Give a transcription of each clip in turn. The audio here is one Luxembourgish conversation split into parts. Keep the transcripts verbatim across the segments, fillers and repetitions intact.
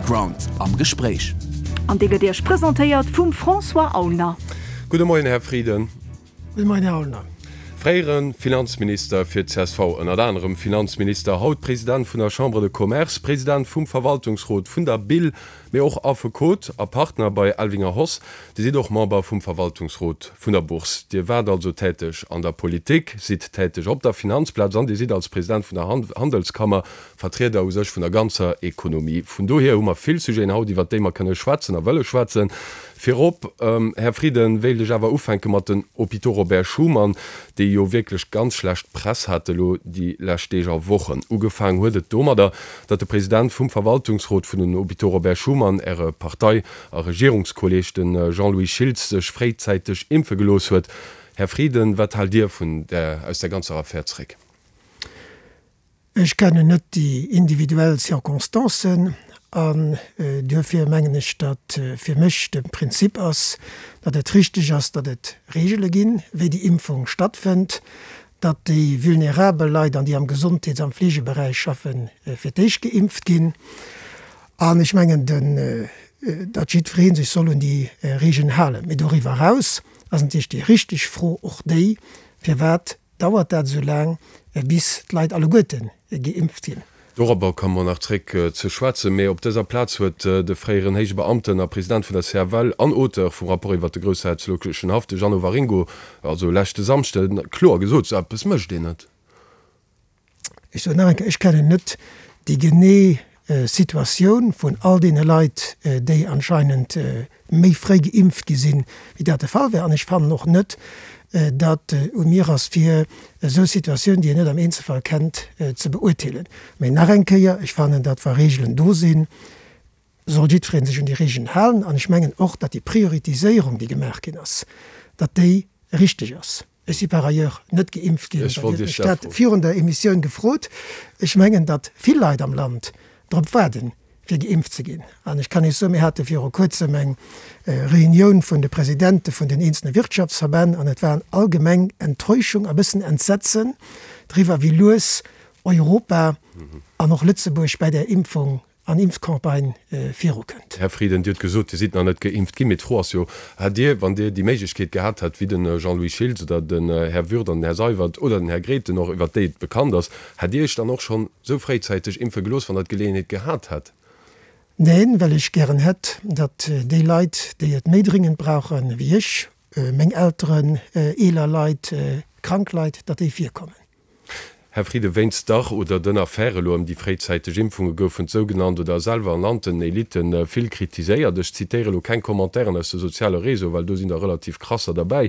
Background am Gespréich. An dee gëtt Iech presentéiert vum François Aulner. Gudde Moien, Här Frieden. Gudde Moien, Här Aulner. Fréiere Finanzminister fir d'CSV, ënnert anerem Finanzminister, haut President vun der Chambre de Commerce, President vum Verwaltungsrot vun der BIL, mee och Affekot a Partner bei Elvinger Hoss. Dir sidd och Member vum Verwaltungsrot vun der Bourse. Dir waart also täteg an der Politik, sidd täteg op der Finanzplaz an Dir sidd als President vun der Handelskammer Vertrieder u sech vun der ganzer Ekonomie. Vun dohier hu mer vill Sujeten haut, iwwert déi mer kënne schwätzen a wëlle schwätzen. Virop, Här Frieden, wéilt ech awer ufänke mat den Hôpitaux Robert Schuman, déi jo wierklech ganz schlecht Press hate lo déi lescht Deeg a Wochen. Ugefaang huet et domadder, datt de President vum Verwaltungsrot vun den Hôpitaux Robert Schuman, Äre Partei a Regierungskolleeg, de Jean-Louis Schiltz, sech fréizäiteg impfe gelooss huet. Här Frieden, wat haalt Dir vun där, aus där ganzer Affär zréck? Ech kennen net déi individuell Circonstancen an duerfir mengen ech, datt fir mech de Prinzip ass, datt et richteg ass, datt et Regele ginn, wéi déi Impfung stattfënnt, datt déi vulnerabel Leit an déi am Gesondheets am Fleegeberäich schaffen, fir d'éischt geimpft ginn. An ech mengen, datt jiddweree sech soll un déi Regeln halen. Mee doriwwer eraus ass natierlech déi richteg Fro och déi, Firwat Dauert dat esou laang, bis d'Leit alleguerte geimpft sinn? Dorobber komme mer nach zréck ze schwätzen. Mee op dëser Plaz huet de fréieren héije Beamten a President vun der CFL an Auteur vum Rapport iwwert de groussherzoglechen Haff, de Jeannot Waringo, also leschte Samschde kloer gesot, Esou eppes mécht een net. Ech soen nach eng Kéier, ech kennen net déi genee Situatioun vun all deene Leit, déi anscheinend méi fréi geimpft gi sinn, wéi dat de Fall war. An ech fannen och net, datt u mir ass, fir esou Situatioun, déi een net am Eenzelfall kennt, ze beurteelen. Mä nach eng Kéier, ech fannen, datt wa Reegelen do sinn, soll jiddweree sech un déi Reegelen halen. An ech mengen och, datt déi Prioritiséierung, déi gemaach ginn ass, datt déi richteg ass. Ech si par ailleurs net geimpft ginn. Ech wollt Dir hutt Iech mech dat dat froen. virun der Emissioun gefrot. Ech mengen, datt vill Leit am Land drop waarden, fir geimpft ze ginn. An ech kann Iech soen, mir hate viru Kuerzem eng Reunioun vun de Presidente vun den eenzelne Wirtschaftsverbänn an et war allgemeng Enttäuschung a bëssen Entsetzen driwwer, wéi lues Europa an och Lëtzebuerg bäi där Impfung an Impfcampagne virukënnt. Här Frieden, Dir hutt gesot, Dir sidd nach net geimpft ginn. Mee d'Fro ass jo, Hätt Dir, wann Dir déi Méiglechkeet gehat hätt, wéi de Jean-Louis Schiltz oder den Här Würth an den Här Seywert oder den Här Grethen och, iwwert déi et bekannt ass, hätt Dir Iech dann och schonn esou fréizäiteg impfe gelooss, wann Der d'Geleeënheet gehat hätt? Neen, well ech gären hätt, datt déi Leit, déi et méi dringend brauche wéi ech, meng Elteren, eeler Leit, krank Leit, datt déi virkommen. Här Frieden, wéinst der oder den Affäre elo ëm déi fréizäiteg Impfunge goufen d'sougenannt oder selwer ernannten Elitten vill kritiséiert. Ech zitéiere elo keng Commentairen aus de soziale Réseauen, well do sinn der relativ krasser derbäi.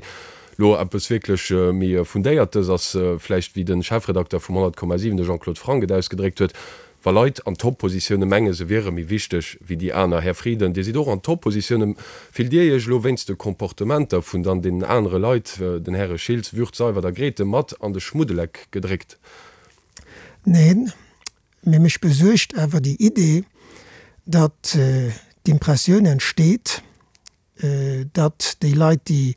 Elo eppes wierklech méi Fundéiertes ass vläicht, wéi de Chefredakter vum honnert Komma siwen, de Jean-Claude Franck, et ausgedréckt huet, Wa Leit an Top-Positioune menge se wiere méi wichteg wéi déi aner. Här Frieden, Dir sidd och an Top-Positioune. Fillt Dir Iech elo wéinst de Comportementer vun dann deenen anere Leit, den Häre Schiltz, Würth, Seywert a Grethen, mat an de Schmuddeleck gedréckt? Neen, mee mech besuergt awer déi Idee, datt d'Impressioun entsteet, datt déi Leit, déi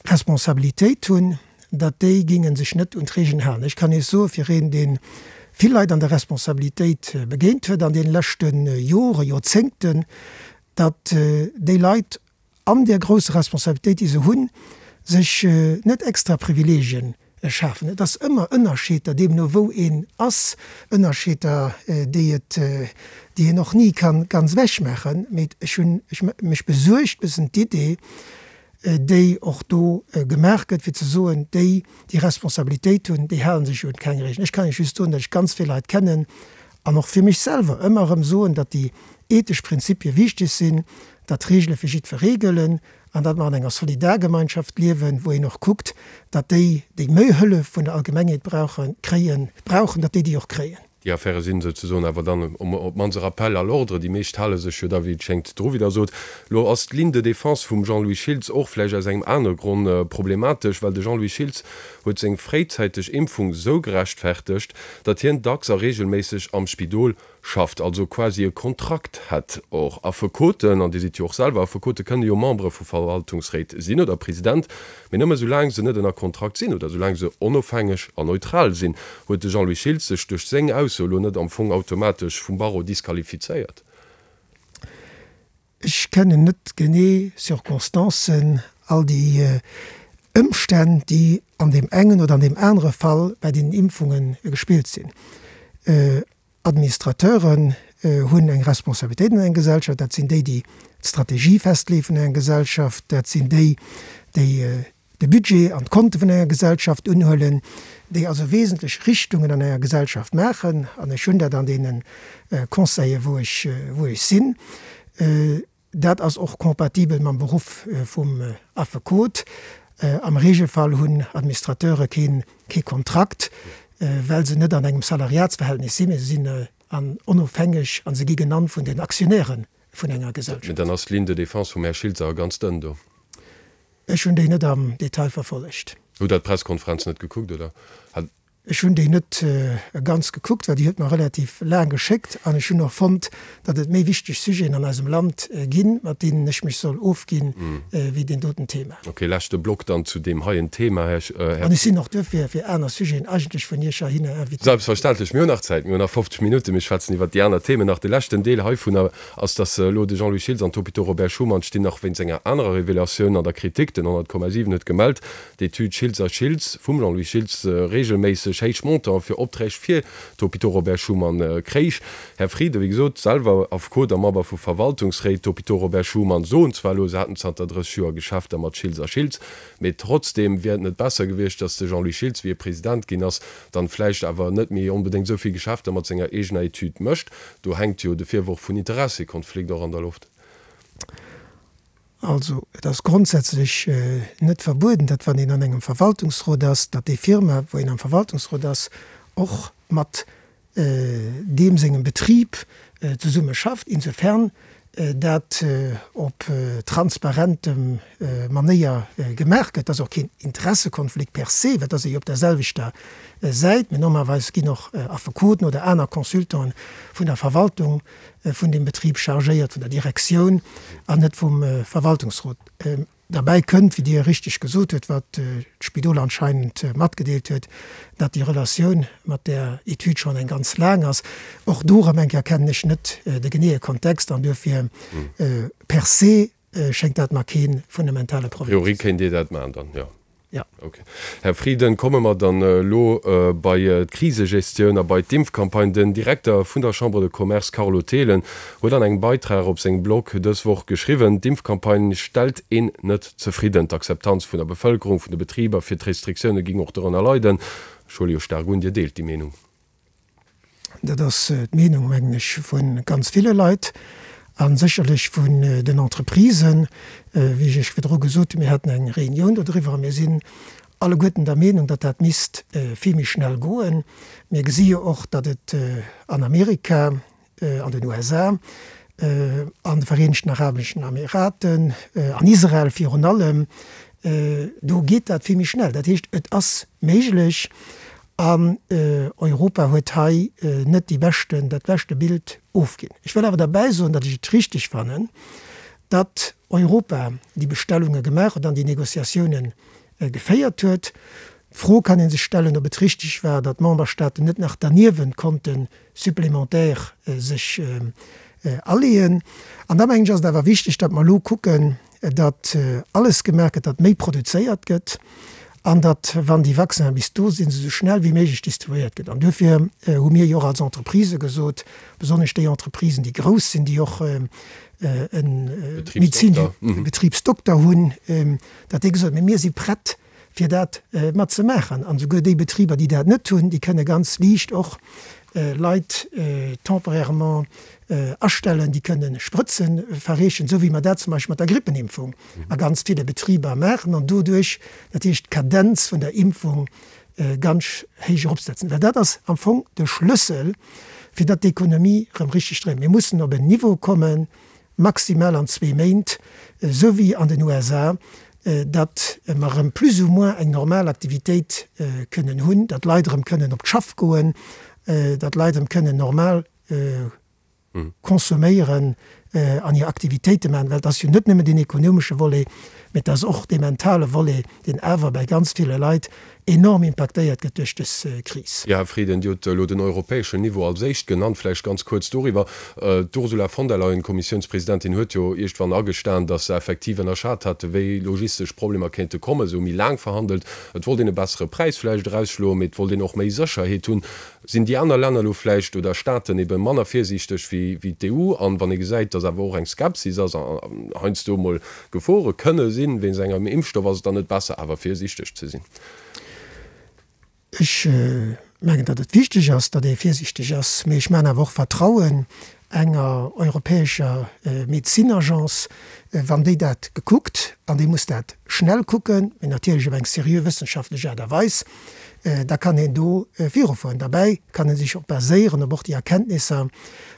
Responsabilitéit hunn, datt déi géinge sech net un d'Regeln halen. Ech kann Iech soen, fir een, dee vill Leit an der Responsabilitéit begéint huet an deene leschte Joren, Joerzéngten, datt déi Leit an där grousser Responsabilitéit, déi se hunn, sech net extra Privileegien schafen. Et ass ëmmer Ënnerscheeder, deemno wou een ass, Ënnerscheeder, déi et, déi een och ni ka ganz ewechmaachen. Mee ech hunn, ech, mech besuergt e bëssen d'Idee, déi och do gemaach gëtt, fir ze soen, déi, déi Responsabilitéit hunn, déi hale sech un keng Regeln. Ech kann Iech just soen, datt ech ganz vill Leit kennen an och fir mech selwer ëmmer erëm soen, datt déi ethesch Prinzipie wichteg sinn, datt Regele fir jiddweree gëllen an datt mer an enger Solidargemeinschaft liewen, wou een och kuckt, datt déi, déi méi Hëllef vun der Allgemengheet brauchen, kréien, brauchen, datt déi déi och kréien. Déi Affäre sinn souzesoen awer dann op d'mannst e Rappel à l'ordre. Déi meescht hale sech jo da, wéi et schéngt, dru, wéi Der sot. Elo ass d'Ligne de défense vum Jean-Louis Schiltz och vläicht aus engem anere Gronn problematesch, well de Jean-Louis Schiltz huet seng fréizäiteg Impfung sou gerechtfertegt, datt hien dacks a reegelméisseg am Spidol schafft, also quasi e Kontrakt hätt. Och Affekoten, an Dir sidd jo och selwer Affekote, kënne jo Membere vu Verwaltungsréit sinn oder President, mee nëmme soulaang se net ënner Kontrakt sinn oder soulaang se onofhängeg an neutral sinn. Huet de Jean-Louis Schiltz sech duerch seng Ausso elo net am Fong automatesch vum Barreau disqualifizéiert? Ech kennen net genee Circonstancen, all déi Ëmstänn, déi an deem engen oder an deem anere Fall bei den Impfunge gespillt sinn. Administrateuren hunn eng Responsabilitéit an enger Gesellschaft, dat sinn déi, déi d'Strategie festleeë vun enger Gesellschaft, dat sinn déi, déi de Budget an d'Konte vun enger Gesellschaft unhuelen, déi also wesentlech Richtungen an enger Gesellschaft maachen. An ech hunn dat an deene Conseile wou ech, wou ech sinn. Dat ass och compatibel mam Beruff vum Affekot. Am Regelfall hunn Administrateure keen, kee Kontrakt, well se net an engem Salariatsverhältnis sinn, mee se sinn an onofhängeg a se gi genannt vun den Aktionäre vun enger Gesellschaft. Mee dann ass d'Ligne de défense vum Här Schiltz awer ganz dënn do. Ech hunn déi net am Detail verfollegt. Hutt Der d'Presskonferenz net gekuckt, oder? Ech hunn déi net ganz gekuckt, well déi huet mer relativ laang geschéckt an ech hunn och fonnt, datt et méi wichteg Sujeten an eisem Land ginn, mat deenen ech mech soll ofginn, wéi deen doten Thema. Ok, leschte Block dann zu deem heien Thema, Här. An ech sinn och duerfir fir aner Sujeten eigentlech vun Iech heihinner invitéiert. Selbstverständlech, mir hunn nach Zäit, mir hunn nach fofzeg Minutten, mir schwätzen iwwert déi aner Themen nach. De leschten Deel heivunner ass, datt elo de Jean-Louis Schiltz an d'Hôpitaux Robert Schuman stinn nach wéinst enger anerer Revelatioun an der Kritik. Den honnert Komma siwen huet gemellt, D'Etüd Schiltz a Schiltz vum Jean-Louis Schiltz reegelméisseg héich Montanten fir Opträg fir d'Hôpitaux Robert Schuman kréich. Här Frieden, wéi gesot, selwer Affekot a Member vu Verwaltungsréit d'Hôpitaux Robert Schuman, soen zwar elo, se hätten zanter drësseg Joer Geschäfter mat Schiltz a Schiltz, mee trotzdeem wier et net besser gewiescht, datt de Jean-Louis Schiltz, wéi e President ginn ass, dann vläicht awer net méi onbedéngt esou vill Geschäfter mat senger eegener Etüd mécht. Do hänkt jo de Virworf vun Interessekonflikt och an der Loft. Also, et ass grondsätzlech net verbueden, datt wann een an engem Verwaltungsrot ass, datt déi Firma, wou een am Verwaltungsrot ass, och mat deem sengem Betrib zesumme schafft, insofern dat op transparentem Manéier gemaach gëtt. Et ass och keen Interessekonflikt per se, well et ass ee jo op der selwechter Säit. Mee normalerweis ginn och Affekoten oder aner Consultanten vun der Verwaltung vun deem Betrib chargéiert, vun der Direktioun an net vum Verwaltungsrot. Derbäi kënnt, wéi Dir richteg gesot hutt, wat d'Spidol anscheinend matgedeelt huet, datt déi Relatioun mat där Etüd schonn eng ganz laang ass. Och do erëm eng Kéier kennen ech net de geneeë Kontext an duerfir per se schéngt dat mer kee fundamentale Problem ze sinn. A priori kéint Dir dat maachen dann, jo. Jo. Ok. Här Frieden, komme mer dann elo bei d'Krisegestioun a bei d'Impfcampagne. Den Direkter vun der Chambre de Commerce Carlo Thelen huet an engem Beitrag op sengem Blog dës Woch geschriwwen, d'Impfcampagne stellt een net zefridden. D'Akzeptanz vun der Bevëlkerung, vun de Betriber fir d'Restriktioune géing och dorënner leiden. Ech huele jo staark un, Dir deelt déi Meenung. Dat ass d'Meenung, mengen ech, vu ganz ville Leit a sécherlech vun den Entreprisen. Wéi ech Iech virdru gesot hunn, mir haten eng Reunioun dodriwwer a mir sinn alleguerten der Meenung, datt dat misst vill méi schnell goen. Mir gesi jo och, datt et an Amerika, an den U S A, an de Vereenegten Arabeschen Emiraten, an Israel virun allem, do geet dat vill méi schnell. Dat heescht, et ass méiglech. An Europa huet hei net déi beschten, dat beschte Bild ofginn. Ech wëll awer derbäi soen, datt ech et richtig fannen, datt Europa déi Bestellunge gemaach huet an déi Négociatiounen geféiert huet. D'Fro kann ee sech stellen, ob et richtig war, datt d'Memberstaaten net nach derniewent konnte supplémentaire sech aleeën. An da mengen ech, ass et awer wichteg, datt mer elo kucken, datt alles gemaach gëtt, datt méi produzéiert gëtt an datt, wann déi Vaccinen bis do sinn, se esou schnell wéi méiglech distribuéiert gëtt. An duerfir hu mir jo och als Entreprisë gesot, besonnesch déi Entreprisen, déi grouss sinn, déi och e Betribsdokter hunn, datt déi gesot hunn, mir si prett, fir dat mat ze maachen. An esouguer déi Betriber, déi dat net hunn, déi kënne ganz liicht och Leit temporairement astellen, déi kënne Sprëtze verreechen, esou wéi mer dat zum Beispill mat der Grippenimpfung a ganz ville Betriber maachen an doduerch natierlech d'Kadenz vun der Impfung ganz héich eropsetzen. Well dat ass am Fong de Schlëssel, fir datt d'Ekonomie erëm richteg dréint. Mir mussen op en Niveau kommen, maximal an zwee Méint, esou wéi an den U S A, datt mer erëm plus ou moins eng normal Aktivitéit kënnen hunn, datt d'Leit erëm kënnen op d'Schaff goen, datt d'Leit erëm kënnen normal consomméieren an hir Aktivitéite maachen, well et ass jo net nëmmen deen ekonomesche Volet, Mee et ass och dee mentale Volet, deen awer bei ganz ville Leit enorm impaktéiert gëtt duerch dës Kris. Jo, Här Frieden, Dir hutt elo den europäeschen Niveau als éischt genannt. Vläicht ganz kuerz doriwwer. D'Ursula von der Leyen, Kommissiounspresidentin, huet jo iergendwann agestan, datt se effektiv ënnerschat hätte wéi logistesch Problemer kéinte kommen. Se hu méi laang verhandelt. Et wollt een e bessere Präis vläicht erausschloen, mee et wollt een och méi Sécherheet hunn. Sinn déi aner Länner elo vläicht oder Staaten ebe manner virsiichteg wéi d'EU? An wann ee gesäit, datt awer och eng Skepsis ass an heiansdo emol Gefore kënne sinn wéinst engem Impfstoff, ass et dann net besser awer virsiichteg ze sinn? Ech mengen, datt et wichteg ass, datt ee virsiichteg ass, mee ech maachen awer och Vertrauen enger europäescher Medezinagence, wann déi dat gekuckt, an déi muss dat schnell kucken, mee natierlech op eng seriö wëssenschaftlech Aart a Weis, da kann een do virufueren. Derbäi kann ee sech och baséieren op och déi Erkenntnisser,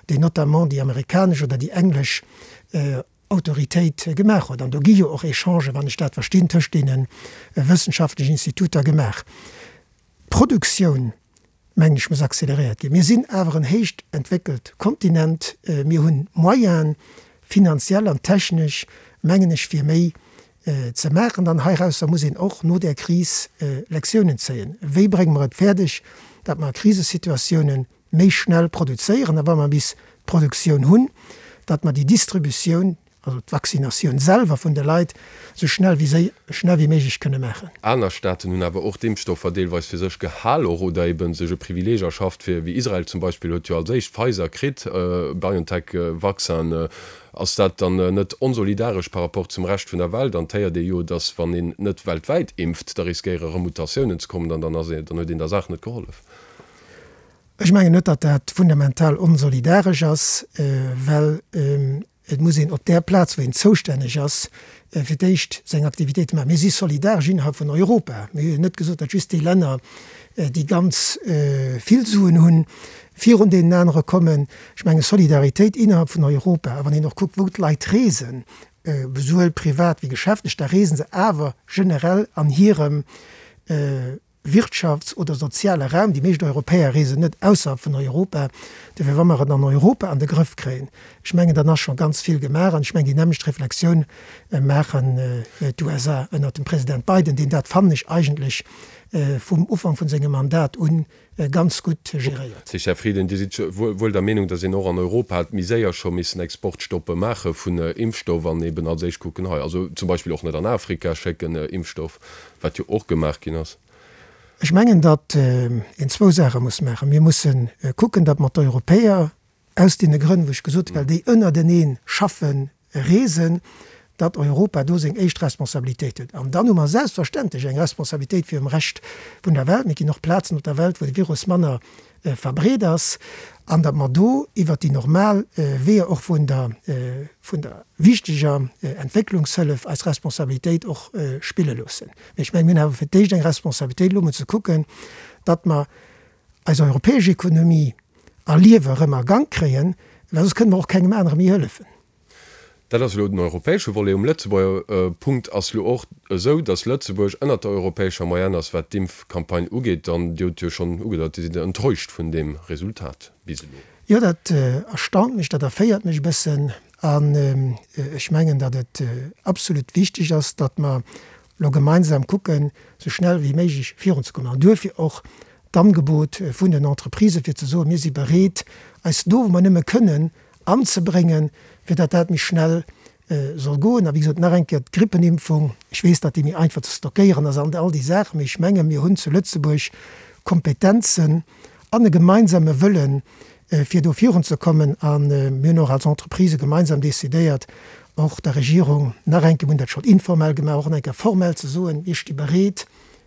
déi notamment déi amerikanesch oder déi englesch Autoritéit gemaach huet. An do gi jo och Echangen, wann ech dat verstinn, tëscht deene wëssenschaftlechen Instituter gemaach. D'Produktioun, mengen ech, muss acceleréiert ginn. Mir sinn awer en héicht entwéckelt Kontinent. Mir hunn d'Moyenen, finanziell an technesch, mengen ech, fir méi ze maachen. An heirausser muss een och no där Kris Lektiounen zéien. Wéi brénge mer et fäerdeg, datt mer a Krisesituatiounen méi schnell produzéieren a wa mer bis d'Produktioun hunn, datt mer déi Distributioun, also d'Vaccinatioun selwer vun de Leit, esou schnell wéi séi schnell wéi méiglech kënne maachen. Aner Staaten hunn awer och d'Impfstoffer deelweis fir sech gehal och oder ebe sech e Privileeg erschafft, fir, wéi Israel zum Beispill huet jo als éischt Pfizer kritt, BioNTech-Vaccin. Ass dat dann net onsolidaresch par rapport zum Rescht vun der Welt? An et héiert ee jo, datt wann een net weltwäit impft, da riskéiere rëm Mutatiounen ze kommen an dann ass ee, dann huet een der Saach net gehollef. Ech mengen net, datt dat fundamental onsolidaresch ass, well et muss een op där Plaz, wou een zoustänneg ass, fir d'éischt seng Aktivitéite maachen. Mir si solidaresch innerhalb vun Europa. Mir hu jo net gesot, datt just déi Länner, déi ganz vill Suen hunn, virun deenen anere kommen. Ech menge Solidaritéit innerhalb vun Europa, a wann een och kuckt, wou d'Leit reesen, esouwuel privat wéi geschäftlech, da reese se awer generell an hirem Wirtschafts oder soziale Raum. Déi meescht Europäer reesen net ausserhalb vun Europa. Dofir, wa mer et an Europa an de Grëff kréien, ech mengen, dann ass scho ganz vill gemaach. An ech mengen, déi nämmlecht Reflexioun maachen d'USA ënnert dem President Biden, deen dat, fannen ech, eigentlech vum Ufank vun sengem Mandat u ganz gutt geréiert. Här Frieden, Dir sidd wuel der Meenung, datt een och an Europa hätt méi séier scho missen Exportstoppe maache vun Impfstoff an eben als éischt kucken hei, also zum Beispill och net an Afrika schécken Impfstoff, wat jo och gemaach ginn ass. Ech mengen, datt een zwou Saache muss maachen. Mir musse kucken, datt mer d'Europäer, aus deene Grënn, wou ech gesot hunn, well déi ënnertenee schaffen, reesen, datt Europa do seng éischt Responsabilitéit huet. An dann hu mer selbstverständlech eng Responsabilitéit virum Rescht vun der Welt. Mee et ginn och Plazen op der Welt, wou de Virus manner verbreet ass, an datt mer do iwwert déi normal Weeër och vun der, vun der wichteger Entwécklungshëllef eis Responsabilitéit och spille loossen. Mee ech mengen, mir hunn awer fir d'éischt eng Responsabilitéit elo emol ze kucken, datt mer eis europäesch Ekonomie a Liewe erëm a Gank kréien, well soss kënne mer och kengem anere méi hëllefen. Dat ass elo den europäesche Volet. Um Lëtzebuerger Punkt ass elo och esou, datt Lëtzebuerg ënnert der europäescher Moyenne ass, wat d'Impfcampagne ugeet. An Dir hutt jo schonn ugedeit, Dir sidd enttäuscht vun deem Resultat bis elo. Jo, dat erstaunt mech, dat erféiert mech e bëssen. An ech mengen, datt et absolut wichteg ass, datt mer elo gemeinsam kucken, esou schnell wéi méiglech virunzekommen. An duerfir och d'Angebot vun den Entreprisë fir ze soen, mir si bereet, eis do, wou mer nëmme kënnen, anzebréngen, fir datt dat méi schnell soll goen. A wéi gesot, nach eng Kéier, d'Grippenimpfung, ech weess, datt déi méi einfach ze stockéieren ass an all déi Saachen, mee ech menge mir hunn zu Lëtzebuerg Kompetenzen an e gemeinsame Wëllen, fir do virunzekommen. A mir hunn och als Entreprisë gemeinsam decidéiert, och der Regierung nach eng Kéier, mir hunn dat schonn informell gemaach, och nach eng Kéier formell ze soen, mir sti bereet,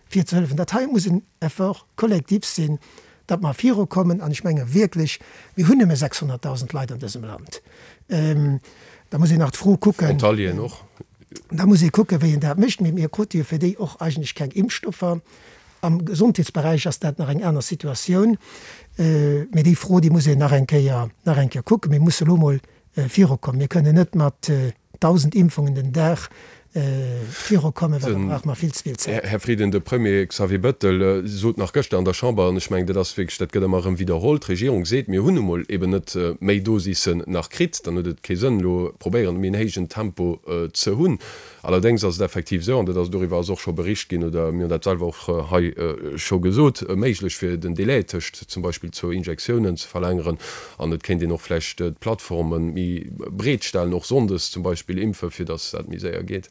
fir ze hëllefen. Dat hei muss en Effort collectif sinn, datt mer virukommen. An ech menge wierklech, mir hunn nëmme sechshonnertdausend Leit an dësem Land. Da muss een nach d'Fro kucken. Frontalieren och. Da muss ee kucken, wéi een dat mécht. Mee mir krute jo fir déi och eigentlech keng Impfstoffer. Am Gesondheetsberäich ass dat nach eng aner Situatioun. Mee déi Fro, déi muss een nach eng Kéier, nach eng Kéier kucken. Mir musse lo emol virukommen. Mir kënnen net mat dausend Impfungen den Dag virukommen, well da brauche mer vill ze vill Zäit. Här Frieden, de Premier Xavier Bettel sot nach gëschter an der Chamber, an ech mengen, dat ass wierklech, dat gëtt ëmmer erëm widderholl, d'Regierung seet, mir hunn nu mol eben net méi Dosissen nach kritt, dann huet et kee Sënn elo probéieren, méi en héijen Tempo ze hunn. Allerdéngs ass et effektiv esou, an dat ass, doriwwer ass och scho bericht ginn, oder mir hunn dat selwer och hei scho gesot, méiglech fir den Délai tëscht zum Beispill zwou Injektiounen ze verlängeren. An et kéint een och vläicht d'Plattforme méi breet stellen, och sonndes zum Beispill impfen, fir datt dat méi séier geet.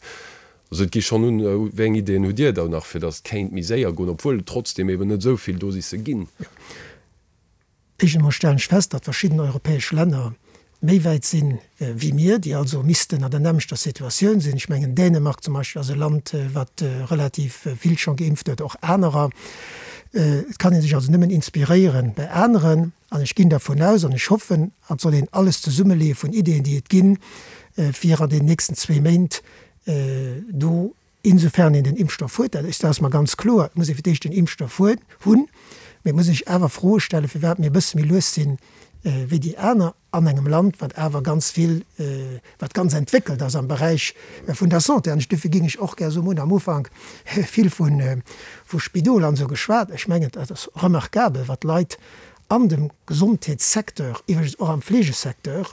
Also et gi schonn un. Wéi eng Ideeën hutt Dir da nach, fir datt et kéint méi séier goen, obwuel et trotzdem eben net esou vill Dosisse ginn? Éischt emol stellen ech fest, datt verschidden europäesch Länner méi wäit sinn wéi mir, déi also missten an der nämmlechter Situatioun sinn. Ech mengen, Dänemark zum Beispill ass e Land, wat relativ vill scho geimpft huet, och anerer. Et kann ee sech also nëmmen inspiréiere bei aneren. An ech ginn dervun aus an ech hoffen, an et soll een alles zesummeleeë vun Ideeën, déi et ginn, fir an den nächsten zwee Méint do, insofern een den Impfstoff huet, dat ass mer ganz kloer, et muss ee fir d'éischt den Impfstoff hunn, mee et muss ee sech awer Froe stellen, firwat mir e bësse méi lues sinn wéi déi aner an engem Land, wat awer ganz vill, wat ganz entwéckelt ass am Beräich vun der Santé. An ech, dofir géing ech och gär soen, mir hunn am Ufank vill vu Spidol an esou geschwat. Ech mengen, et ass remarkabel, wat d'Leit an dem Gesondheetssecteur, iwwregens och am Fleegesecteur,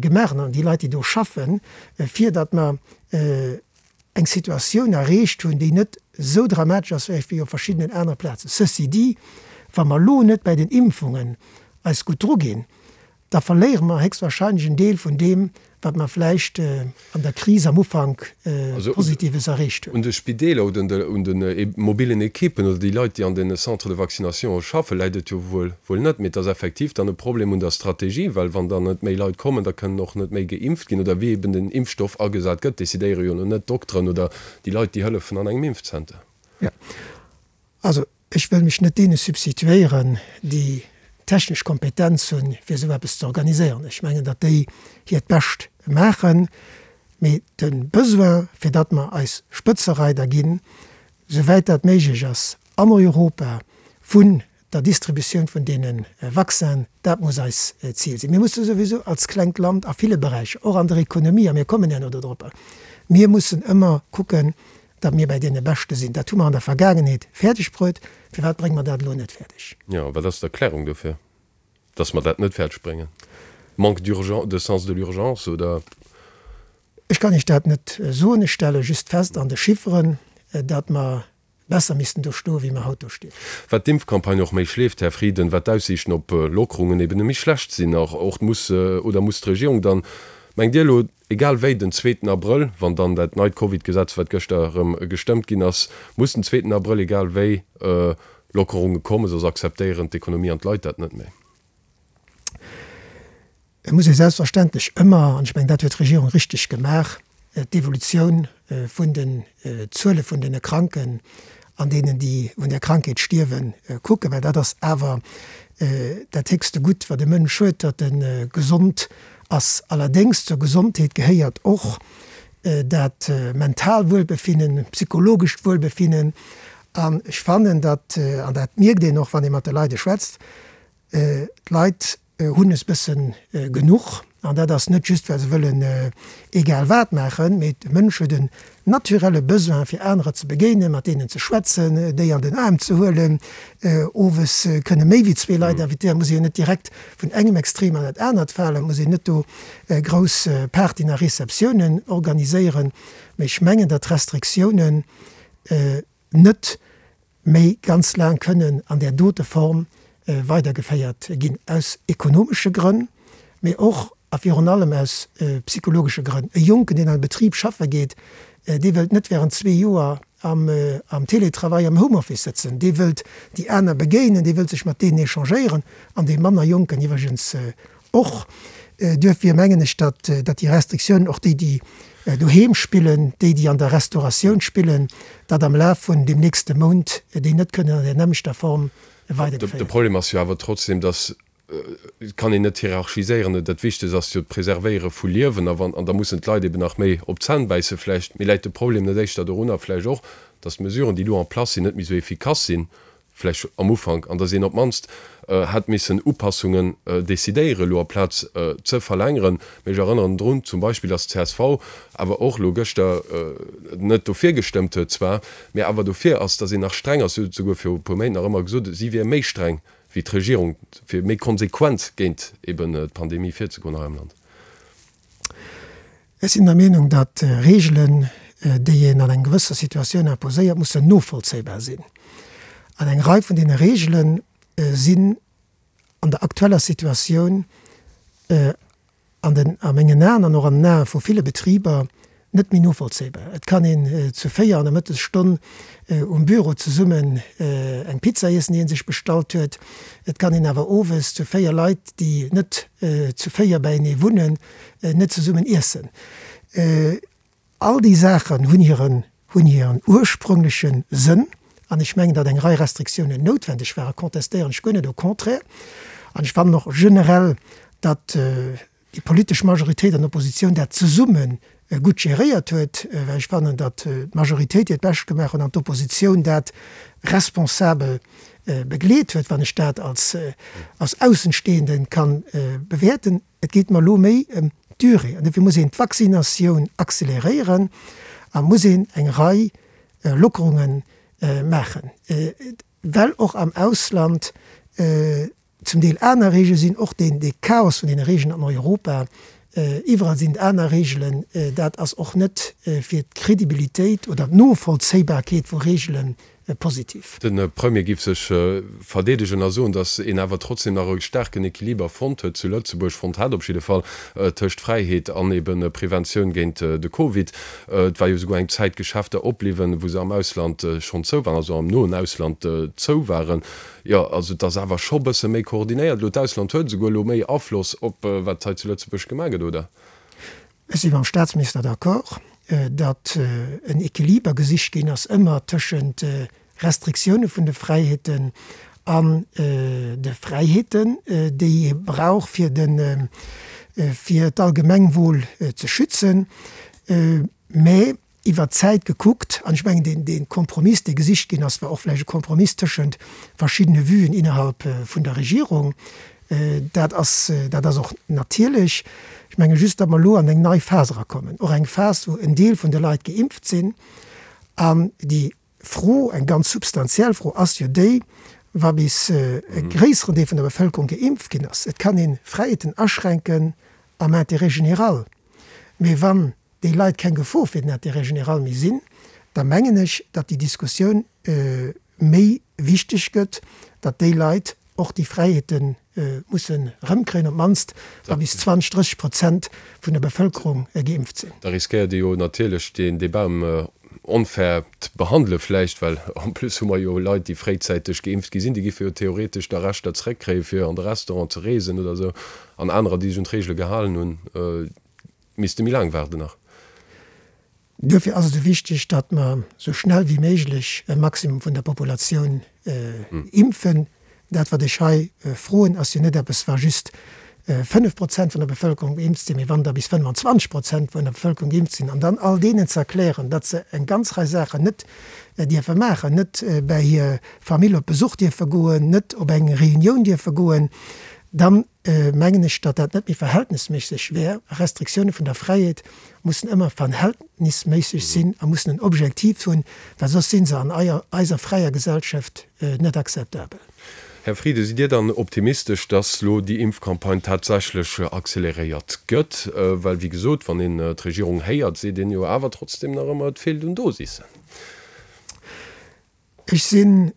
gemaach hunn, an déi Leit, déi do schaffen, fir datt mer eng Situatioun erreecht hunn, déi net esou dramatesch ass vläicht wéi op verschiddenen anere Plazen. Ceci dit, wa mer elo net bei den Impfungen eis gutt druginn, da verléiere mer héchstwahrscheinlech en Deel vun deem, wat mer vläicht an der Kris am Ufank Positives erreecht hunn. Un de Spideeler oder un de mobilen Ekippen oder déi Leit, déi an de Centres de vaccination schaffen, läit et jo wuel wuel net. Mee et ass effektiv dann e Problem un der Strategie, well wann dann net méi Leit kommen, da kënnen och net méi geimpft ginn. Oder wéi eben den Impfstoff agesat gëtt, decidéiere jo net d'Dokteren oder déi Leit, déi hëllefen an engem Impfzenter. Jo, also ech wëll mech net deene substituéieren, déi technesch Kompetenz hunn, fir esou eppes ze organiséieren. Ech mengen, datt déi hiert Bescht maachen, mee de Besoin, fir datt mer eis Spëtzereider ginn, souwäit dat méiglech ass an Europa, vun der Distributioun vun deene Vaccinen, dat muss eis Zil sinn. Mir musse souwisou als klengt Land a ville Beräicher, och an der Ekonomie, a mir kommen herno dodropper, mir mussen ëmmer kucken, datt mir bäi deene Beschte sinn. Dat hu mer an der Vergaangenheet fäerdeg bruet. Firwat brénge mer dat elo net fäerdeg? Jo, wat ass d'Erklärung dofir, datt mer dat net fäerdeg bréngen? Manque d'urgence, de sens de l'urgence, oder? Ech kann Iech dat net soen. Ech stelle just fest an de Chifferen, datt mer besser missten do stoen, wéi mer haut do stinn. Wat d'Impfcampagne och méi schleeft, Här Frieden, wat d'Aussiichten op Lockerungen eben méi schlecht sinn. Och och muss oder muss d'Regierung dann, mengt Dir elo, egal wéi den zweeten Abrëll, wann dann dat neit Covid-Gesetz, wat gëschter erëm gestëmmt ginn ass, muss den zweeten Abrëll egal wéi Lockerunge kommen, soss akzeptéieren d'Ekonomie an d'Leit dat net méi? Et muss ee selbstverständlech ëmmer, an ech mengen, dat huet d'Regierung richteg gemaach, d'Evolutioun vun den Zuele vun den Kranken an deenen, déi un där Krankheet stierwen, kucken, well dat ass awer dat héchste Gutt, wat e Mënsch huet, datt e gesond ass. Allerdéngs, zur Gesondheet gehéiert och dat mental Wuelbefinnen, psychologescht Wuelbefinnen. An ech fannen, datt, an dat mierkt een och, wann ee mat de Leide schwätzt, d'Leit hunn es bëssen genuch. An dat ass net just, well se wëllen egal wat maachen, mee de Mënsch huet en naturelle Besoin, fir anerer ze begéinen, mat deenen ze schwätzen, déi an den Aarm ze huelen. Owes kënne méi wéi zwee Leit invitéieren, muss ee jo net direkt vun engem Extrem an dat anert falen, muss een net do grouss Partyen a Receptiounen organiséieren. Mee ech mengen, datt d'Restriktiounen net méi ganz laang kënnen an där dote Form weidergeféiert ginn, aus ekonomesche Grënn, mee och a virun allem aus psychologesche Grënn. E Jonken, deen an e Betrib schaffe geet, dee wëllt net während zwee Joer am Teletravail, am Homeoffice sëtzen. Dee wëllt déi aner begéinen, dee wëllt sech mat deenen échangéieren, an dee manner Jonken iwwregens och. Duerfir mengen ech, datt déi Restriktiounen, och déi, déi doheem spillen, déi, déi an der Restauratioun spillen, datt am Laf vun deem nächste Mount déi net kënnen an där nämmlechter Form weidergeféiert De Problem ass jo awer trotzdem, datt, et kann een net hierarchiséieren, dat Wichtegst ass jo d'Preservéiere vu Liewen, a wann, an da mussen d'Leit eben nach méi op d'Zänn bäisse vläicht. Mee läit de Problem net éischter dorunner vläicht och, datt d'Mesuren, déi elo en place sinn, net méi esou efficace sinn, vläicht am Ufank, an datt een op d'mannst hätt missen Upassungen decidéieren elo aplaz ze verlängeren. Mee ech erënneren drun zum Beispill, datt d'CSV awer och elo gëschter net dofir gestëmmt huet zwar, mee awer dofir ass, datt een nach streng ass. Si huet souguer viru e puer Méint nach ëmmer gesot, si wier méi streng wéi d'Regierung, fir méi konsequent géint eben d'Pandemie virzegoen hei am Land. Ech sinn der Meenung, datt Reegelen, déi een an eng gewësser Situatioun imposéiert, mussen novollzéibar sinn. An eng Rei vun deene Reegele sinn an der aktueller Situatioun an den, a mengen Aen an och an den Ae vu ville Betriber net méi novollzéibar. Et kann een zu véier an der Mëttesstonn um Büro zesummen eng Pizza iessen, déi ee sech bestallt huet. Et kann een awer owes zu véier Leit, déi net zu véier beienee wunnen, net zesummen iessen. All déi Saachen hunn hiren, hunn hiren ursprüngleche Sënn. An ech mengen, datt eng Rei Restriktiounen noutwendeg waren, contestéieren ech guer net, au contraire. An ech fannen och generell, datt déi politesch Majoritéit an Oppositioun dat zesumme gutt geréiert huet, well ech fannen, datt d'Majoritéit hiert Bescht gemaach huet an d'Oppositioun dat responsabel begleet huet, wann ech dat als als Aussenstehende kann bewäerten. Et geet mer elo méi ëm d'Durée an dofir muss een d'Vaccinatioun accéléréieren a muss een eng Rei Lockerunge maachen, well och am Ausland zum Deel aner Reegele sinn, och deen dee Chaos vun deene Reegelen an Europa, iwwerall sinn et aner Reegelen, dat ass och net fir d'Credibilitéit oder d'Novollzéibarkeet vu Reegele positiv. De Premier géif sech verdeedegen a soen, datt een awer trotzdem nach e staarken Equiliber fonnt huet zu Lëtzebuerg, fonnt hat op jidde Fall, tëscht Fräiheet an ebe Preventioun géint de Covid. Et war jo souguer eng Zäit Geschäfter opbliwwen, wou se am Ausland schonn zou waren, also am noen Ausland zou waren. Jo, also et ass awer scho bësse méi koordinéiert elo. D'Ausland huet esouguer elo méi Afloss op wat hei zu Lëtzebuerg gemaach gëtt, oder? Ech si mam Staatsminister d'accord, datt en Equiliber gesicht ginn ass ëmmer tëschent Restriktioune vun de Fräiheeten an de Fräiheeten, déi ee brauch fir de fir d'Allgemengwohl ze schützen. Mä iwwer d'Zäit gekuckt, an ech mengen deen dee Kompromiss, dee gesicht ginn ass, war och vläicht e Kompromiss tëschent verschiddene Vuen innerhalb vun der Regierung, dat ass dat ass och natierlech. Ech menge just, datt mer elo an eng nei Phas erakommen, och eng Phas, wou en Deel vun de Leit geimpft sinn an déi Fro, eng ganz substantiell Fro ass jo déi, wa bis e gréisseren Deel vun der Bevëlkerung geimpft ginn ass, et kann ee Fräiheeten aschränken am Intérêt général, mee wann déi Leit keng Gefor fir den Intérêt général méi sinn, da mengen ech, datt déi Diskussioun méi wichteg gëtt, datt déi Leit och déi Fräiheete mussen erëmkréien, op d'mannst wa bis zwanzeg, drësseg Prozent vun der Bevëlkerung geimpft sinn. Da riskéiert ee jo natierlech deen Débat ëm onfairt Behandele vläicht, well en plus hu mer jo Leit, déi fréizäiteg geimpft gi sinn, déi giffe jo theoretesch da Rechter zréckkréie fir an de Restaurant ze reesen oder esou, an anerer, déi sech un d'Reegele gehalen hunn, misste méi laang waarden nach. Duerfir ass et esou wichteg, datt mer esou schnell wéi méiglech e Maximum vun der Populatioun impfen. Dat, wat ech hei froen, ass jo net eppes, wa just fënnef Prozent vun der Bevëlkerung geimpft sinn, mee wann der bis fënnwanzwanzeg Prozent vun der Bevëlkerung geimpft sinn. An dann all deenen ze erklären, datt se eng ganz Rei Saachen net dierfe maachen, net bäi hir Famill op Besuch dierfe goen, net op eng Reunioun dierfe goen, dann mengen ech, datt dat net méi verhältnisméisseg wär. Restriktioune vun der Fräiheet mussen ëmmer verhältnisméisseg sinn a mussen en Objektiv hunn, well soss si se an eiser fräier Gesellschaft net akzeptabel. Här Frieden, sidd Dir dann optimistesch, datt elo déi Impfcampagne tatsächlech acceleréiert gëtt? Well, wéi gesot, wann een d'Regierung héiert, seet een jo awer trotzdem nach ëmmer, et feelt un Dosissen. Ech sinn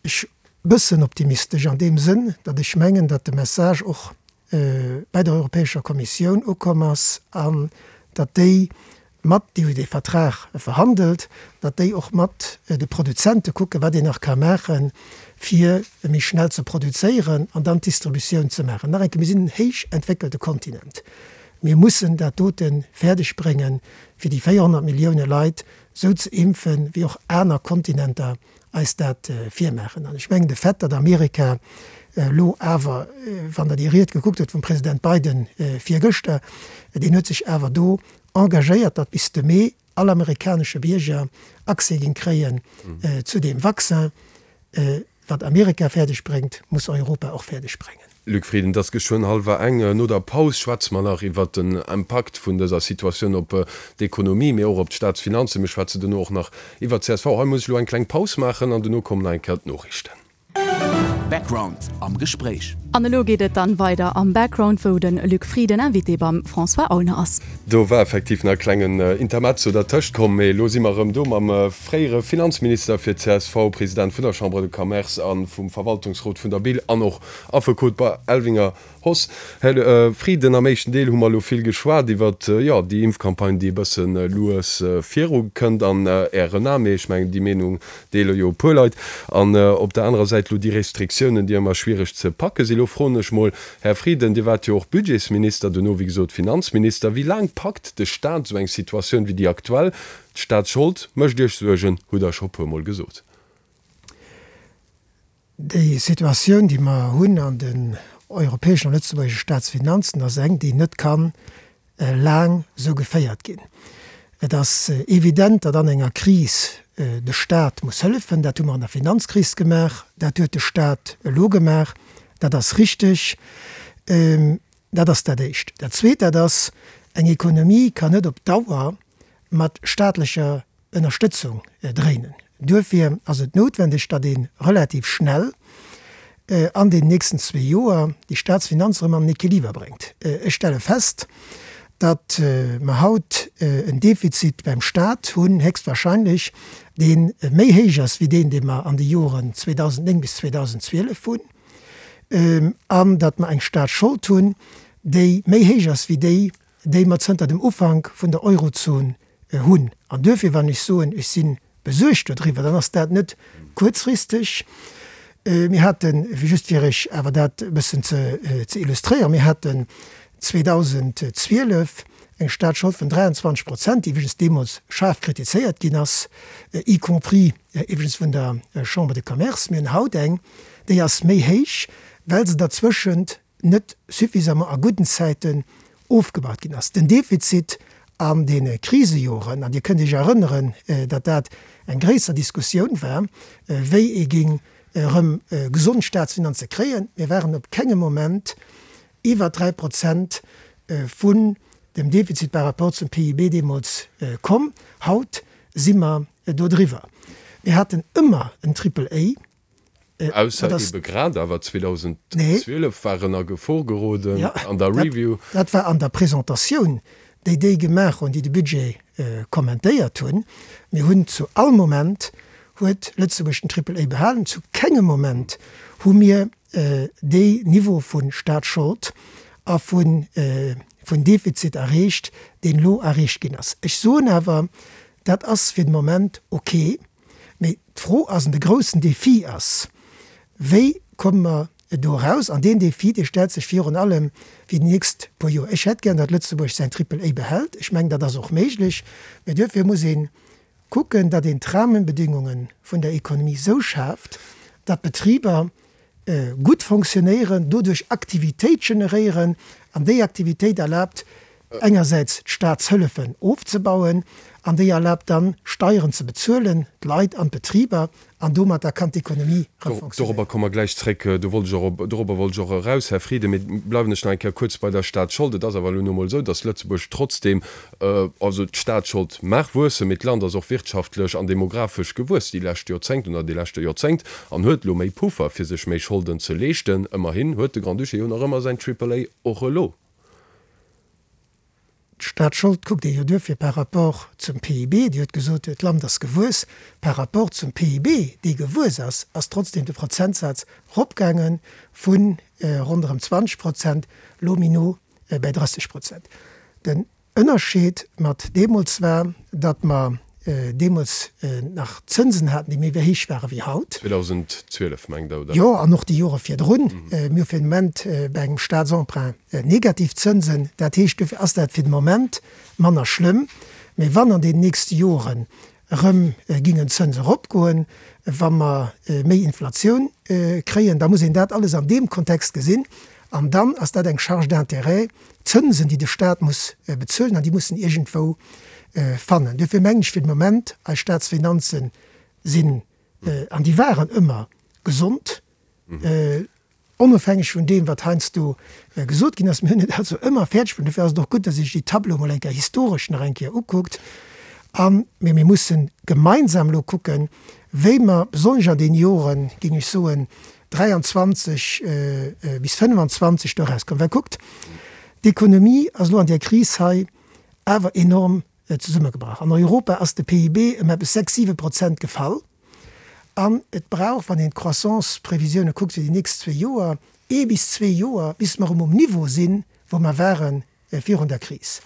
Ech bëssen optimistesch an deem Sënn, datt ech mengen, datt de Message och bäi der Europäescher Kommissioun ukomm ass an datt déi mat, déi hu dee Vertrag verhandelt, datt déi och mat de Produzente kucken, wat een nach ka maachen, fir méi schnell ze produzéieren an dann d'Distributioun ze maachen. Nach eng Kéier, mir sinn en héich entwéckelte Kontinent. Mir mussen dat dote fäerdeg bréngen, fir déi véierhonnert Millioune Leit esou ze impfen, wéi och aner Kontinenter eis dat virmaachen. An ech mengen, de Fait, datt Amerika elo awer, wann Der déi Ried gekuckt hutt vum President Biden virgëschter, deen huet sech awer do engagéiert, datt bis de Mee all amerikanesche Bierger Accès géing kréien zu deem Vaccin. Wat Amerika fäerdeg bréngt, muss Europa och fäerdeg bréngen. Luc Frieden, Et ass geschwënn hallwer eng. No der Paus schwätze mer nach iwwert den Impakt vun dëser Situatioun op d'Ekonomie, mee och op d'Staatsfinanzen. Mir schwätzen duerno och nach iwwert d'CSV. Hei muss ech elo eng kleng Paus maachen an duerno kommen nach eng Kéier d'Noriichten. Background am Gespréich. An elo geet et dann weider am Background, wou den Luc Frieden Invité beim François Aulner ass. Do war effektiv nach e klengen Intermezzo dertëscht komm, mee elo si mer erëm do mam fréiere Finanzminister fir d'CSV, President vun der Chambre de Commerce a vum Verwaltungsrot vun der BIL an och Affekot bei Elvinger Hoss. Här Frieden, am éischten Deel hu mer elo vill geschwat iwwert, jo, déi Impfcampagne, déi e bësse lues viru kënnt an Ären Aen, mee ech mengen, déi Meenung deele jo e puer Leit. An op der anerer Säit elo déi Restriktiounen, déi ëmmer schwiereg ze packe sinn. Elo froen ech mol, Här Frieden, Dir waart jo och Budgetsminister, duerno wéi gesot Finanzminister, wéi laang packt de Staat esou eng Situatioun wéi déi aktuell? D'Staatsschold mécht Iech Suergen, hutt Der scho puer Mol gesot. Déi Situatioun, déi mer hunn an den europäeschen a lëtzebuergesche Staatsfinanzen, ass eng, déi net ka laang esou geféiert ginn. Et ass evident, datt an enger Kris de Staat muss hëllefen. Dat hu mer an der Finanzkris gemaach, dat huet de Staat elo gemaach. Dat ass richteg. Dat ass dat Éischt. Dat Zweet, dat ass, eng Ekonomie kann net op Dauer mat staatlecher Ënnerstëtzung dréinen. Duerfir ass et noutwendeg, datt ee relativ schnell an den nächsten zwee Joer déi Staatsfinanze erëm an den Equiliber bréngt. Ech stelle fest, datt mer haut en Defizit beim Staat hunn, héchstwahrscheinlech, dee méi héich ass wéi deen, dee mer an de Joren zweedausendnéng bis zweedausendzwielef hunn, an datt mer eng Staatsschold hunn, déi méi héich ass wéi déi, déi mer zënter dem Ufank vun der Eurozon hunn. An duerfir, wann ech soen, ech si besuergt dodriwwer, dann ass dat net kuerzfristeg. Mir haten, just fir Iech awer dat e bëssen ze illustréieren, mir haten zweedausendzwielef eng Staatsschold vun dräianzwanzeg Prozent, déi iwwregens deemools schaarf kritizéiert ginn ass, y compris iwwregens vun der Chambre de Commerce. Mir hunn haut eng, déi ass méi héich, well se derzwëschent net suffisamment a gudden Zäiten ofgebaut ginn ass. Den Defizit an deene Krisejoren, an Dir kënnt Iech erënneren, datt dat eng gréisser Diskussioun war, wéi ee géing erëm gesond Staatsfinanze kréien, mir waren op kengem Moment iwwer dräi Prozent vun dem Defizit par rapport zum P I B deemools komm. Haut si mer dodriwwer. Mir haten ëmmer en Triple A. Ausser ebe grad awer zweedausendzwielef war en a Gefor geroden an der Review. Dat war an der Presentatioun, déi déi gemaach hunn, déi de Budget kommentéiert hunn. Mir hunn zu all Moment huet Lëtzebuerg den Triple A behalen. Zu kengem Moment hu mir dee Niveau vu Staatsschold a vun Defizit erreecht, deen elo erreecht ginn ass. Ech soen awer, dat ass fir de Moment ok. Mee d'Fro ass, an de groussen Défi ass, Wéi komme mer do eraus? An deen Défi, dee stellt sech virun allem fir déi nächst puer Joer. Ech hätt gär, datt Lëtzebuerg säin Triple A behält. Ech mengen, dat ass och méiglech. Mee duerfir muss ee kucken, datt een d'Rahmenbedingungen vun der Ekonomie esou schaaft, datt d'Betriber gutt fonctionnéieren, doduerch Aktivitéit generéieren, an déi Aktivitéit erlaabt engersäits d'Staatshëllefen ofzebauen an déi erlaabt dann Steieren ze bezuelen, d'Leit an d'Betriber, an domatter kann d'Ekonomie erëm fonctionnéieren. Dorobber komme mer gläich zréck. Do wollt ech och, dorobber wollt ech och eraus, Här Frieden. Mee bleiwen ech nach eng Kéier kuerz bei der Staatsschold. Et ass awer elo nu emol esou, datt Lëtzebuerg trotzdeem, also d'Staatsschold mag wuessen, mee d'Land ass och wirtschaftlech an demographesch gewuess déi lescht Joerzéngt oder dee leschte Joerzéngt an huet elo méi Puffer, fir sech méi Scholden ze leeschten. Ëmmerhin huet de Grand-Duché jo nach ëmmer säin Triple A och elo. D'Staatsschold kuckt ee jo duerfir par rapport zum P I B. Dir hutt gesot, d'Land ass gewuess. Par rapport zum P I B, dee gewuess ass, ass trotzdem de Prozentsaz eropgaange vu ronderëm zwanzeg Prozent elo méi no bäi drësseg Prozent. Den Ënnerscheed mat deemools war, datt mer deemools nach Zënsen haten, déi méi héich ware wéi haut. zweedausendzwielef mengt Der, oder? Jo, an och déi Jore virdrun. Mir hu fir den Moment bei engem Statsemprunt negativ Zënsen. Dat heescht, dofir ass dat fir den Moment manner schlëmm. Mee wann an deenen nächste Joren erëm gingen d'Zënse eropgoen, wa mer méi Inflatioun kréien, da muss een dat alles an deem Kontext gesinn. An dann ass dat eng Charge d'intérêt, Zënsen, déi de Stat muss bezuelen, an déi muss en iergendwou fannen. Duerfir mengen ech fir de Moment, eis Statsfinanze sinn, an déi waren ëmmer gesond, onofhängeg vun deem, wat heiansdo gesot ginn ass. Mir hunn et also ëmmer fäerdeg bruecht. Dofir ass et och gutt, datt ee sech déi Tableau mol eng Kéier historesch nach eng Kéier ukuckt. A mee mir mussen gemeinsam elo kucken, wéi mer besonnesch an deene Joren, géing ech soen, dräianzwanzeg bis fënnefanzwanzeg do erauskommen. Well kuckt, d'Ekonomie ass elo an där Kris hei awer enorm zesummegebrach. An Europa ass de P I B ëm eppes sechs, siwe Prozent gefall. An et brauch, wann een d'Croissance-Previsioune kuckt fir déi nächst zwee Joer, ee bis zwee Joer, bis mer erëm um Niveau sinn, wou mer ware virun der Kris.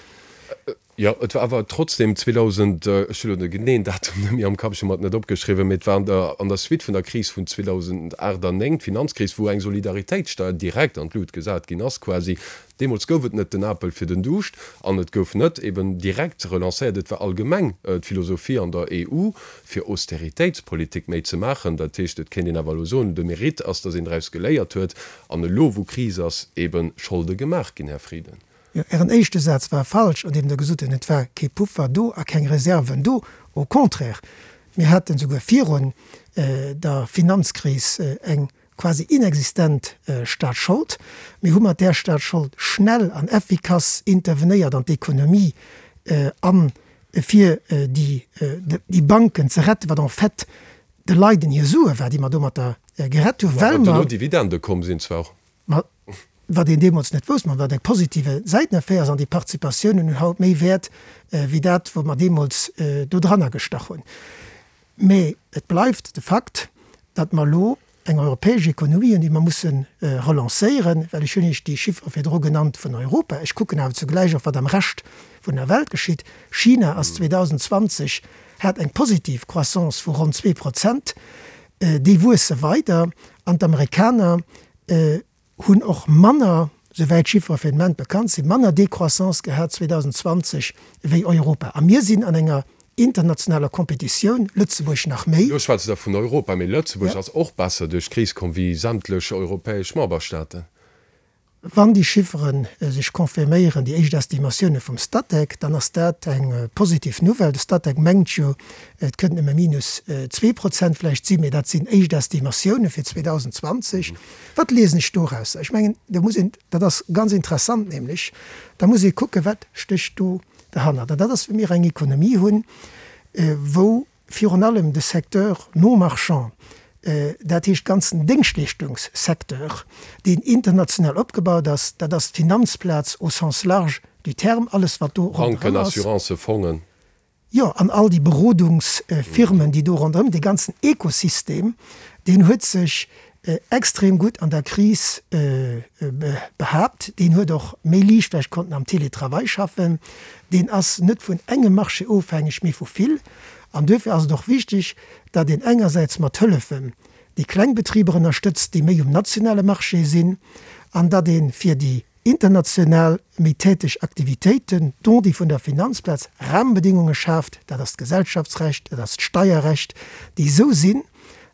Jo, et war awer trotzdem zweedausend, ech hunn elo de geneeën Datum net méi am Kapp, ech hu mer et net opgeschriwwen, mee et war an der an der Suite vun der Kris vun zweedausendacht an néng, d'Finanzkris, wou eng Solidaritéitssteuer direkt an d'Lut gesat ginn ass quasi. Deemools gouf et net den Apel fir den Duuscht an et gouf net eben direkt relancéiert. Et war allgemeng d'Philosophie an der E U, fir Austeritéitspolitik méi ze maachen. Dat heescht, et kéint een awer elo soen, de Mérite ass, datt een draus geléiert huet an elo, wou Kris ass, eben Scholde gemaach ginn, Här Frieden. Jo, Ären éischte Saz war falsch, an deem Der gesot hutt, et war kee Puffer do a keng Reserven do. Au contraire, mir haten souguer virun der Finanzkris eng quasi inexistent Staatsschold. Mir hu mat där Staatsschold schnell an effikass intervenéiert an d'Ekonomie a fir déi Banken ze retten, wat en fait de Leiden hir Sue war, déi mer domatter gerett hunn, well mer. Duerno Dividende komm sinn zwar. Ma wat een deemools net wousst, ma wat eng positive Säiteneffet ass, an déi Participatiounen hunn haut méi Wäert wéi dat, wou mer deemools do dranner gestach hunn. Mä et bleift de Fakt, datt mer elo eng europäesch Ekonomie hunn, déi mer musse relancéieren, well ech hunn Iech déi Chiffere virdru genannt vun Europa. Ech kucken awer zugläich och, wat am Rescht vun der Welt geschitt. China ass zweedausendzwanzeg hat eng positiv Croissance vu ronn zwee Prozent. Déi wuesse weider an d'Amerikaner hunn och manner, souwäit d'Chiffere fir den Moment bekannt sinn, manner Décroissance gehat zweedausendzwanzeg wéi Europa. A mir sinn an enger internationaler Kompetitioun, Lëtzebuerg nach méi. Elo schwätzt Der vun Europa, mee Lëtzebuerg ass och besser duerch d'Kris komm wéi sämtlech europäesch Memberstaaten. Wann déi Chiffere sech confirméieren, déi éischt Estimatioune vum Statec, dann ass dat eng positiv Nouvelle. De Statec mengt jo, et kënnt nëmme minus zwee Prozent vläicht sinn, mee dat sinn éischt Estimatioune fir zweedausendzwanzeg. Wat liesen ech dorausser? Ech mengen, do muss een, dat ass ganz interessant nämlech, da muss ee kucken, wat stécht do derhannert. An dat ass, wa mir eng Ekonomie hunn, wou virun allem de Secteur non marchand, dat heescht ganzen Déngschtleeschtungssecteur, deen international opgebaut ass, dat ass d'Finanzplaz au sens large du terme, alles wat do ronderëm Banken, ass. Assurancen, Fongen. Jo, an all déi Berodungsfirmen, déi do ronderëm, dee ganzen Ekosystem, deen huet sech extrem gutt an der Kris behaapt. Deen huet och méi liicht vläicht konnten am Télétravail schaffen. Deen ass net vun engem Marché ofhängeg, mee vu vill. An duerfir ass et och wichtig, datt een engersäits mat Hëllefen déi kleng Betriber ënnerstëtzt, déi méi um nationale Marché sinn, an datt ee fir déi international méi täteg Aktivitéiten, dont déi vun der Finanzplaz, Rahmenbedingunge schaaft, dat ass d'Gesellschaftsrecht, dat ass d'Steierrecht, déi esou sinn,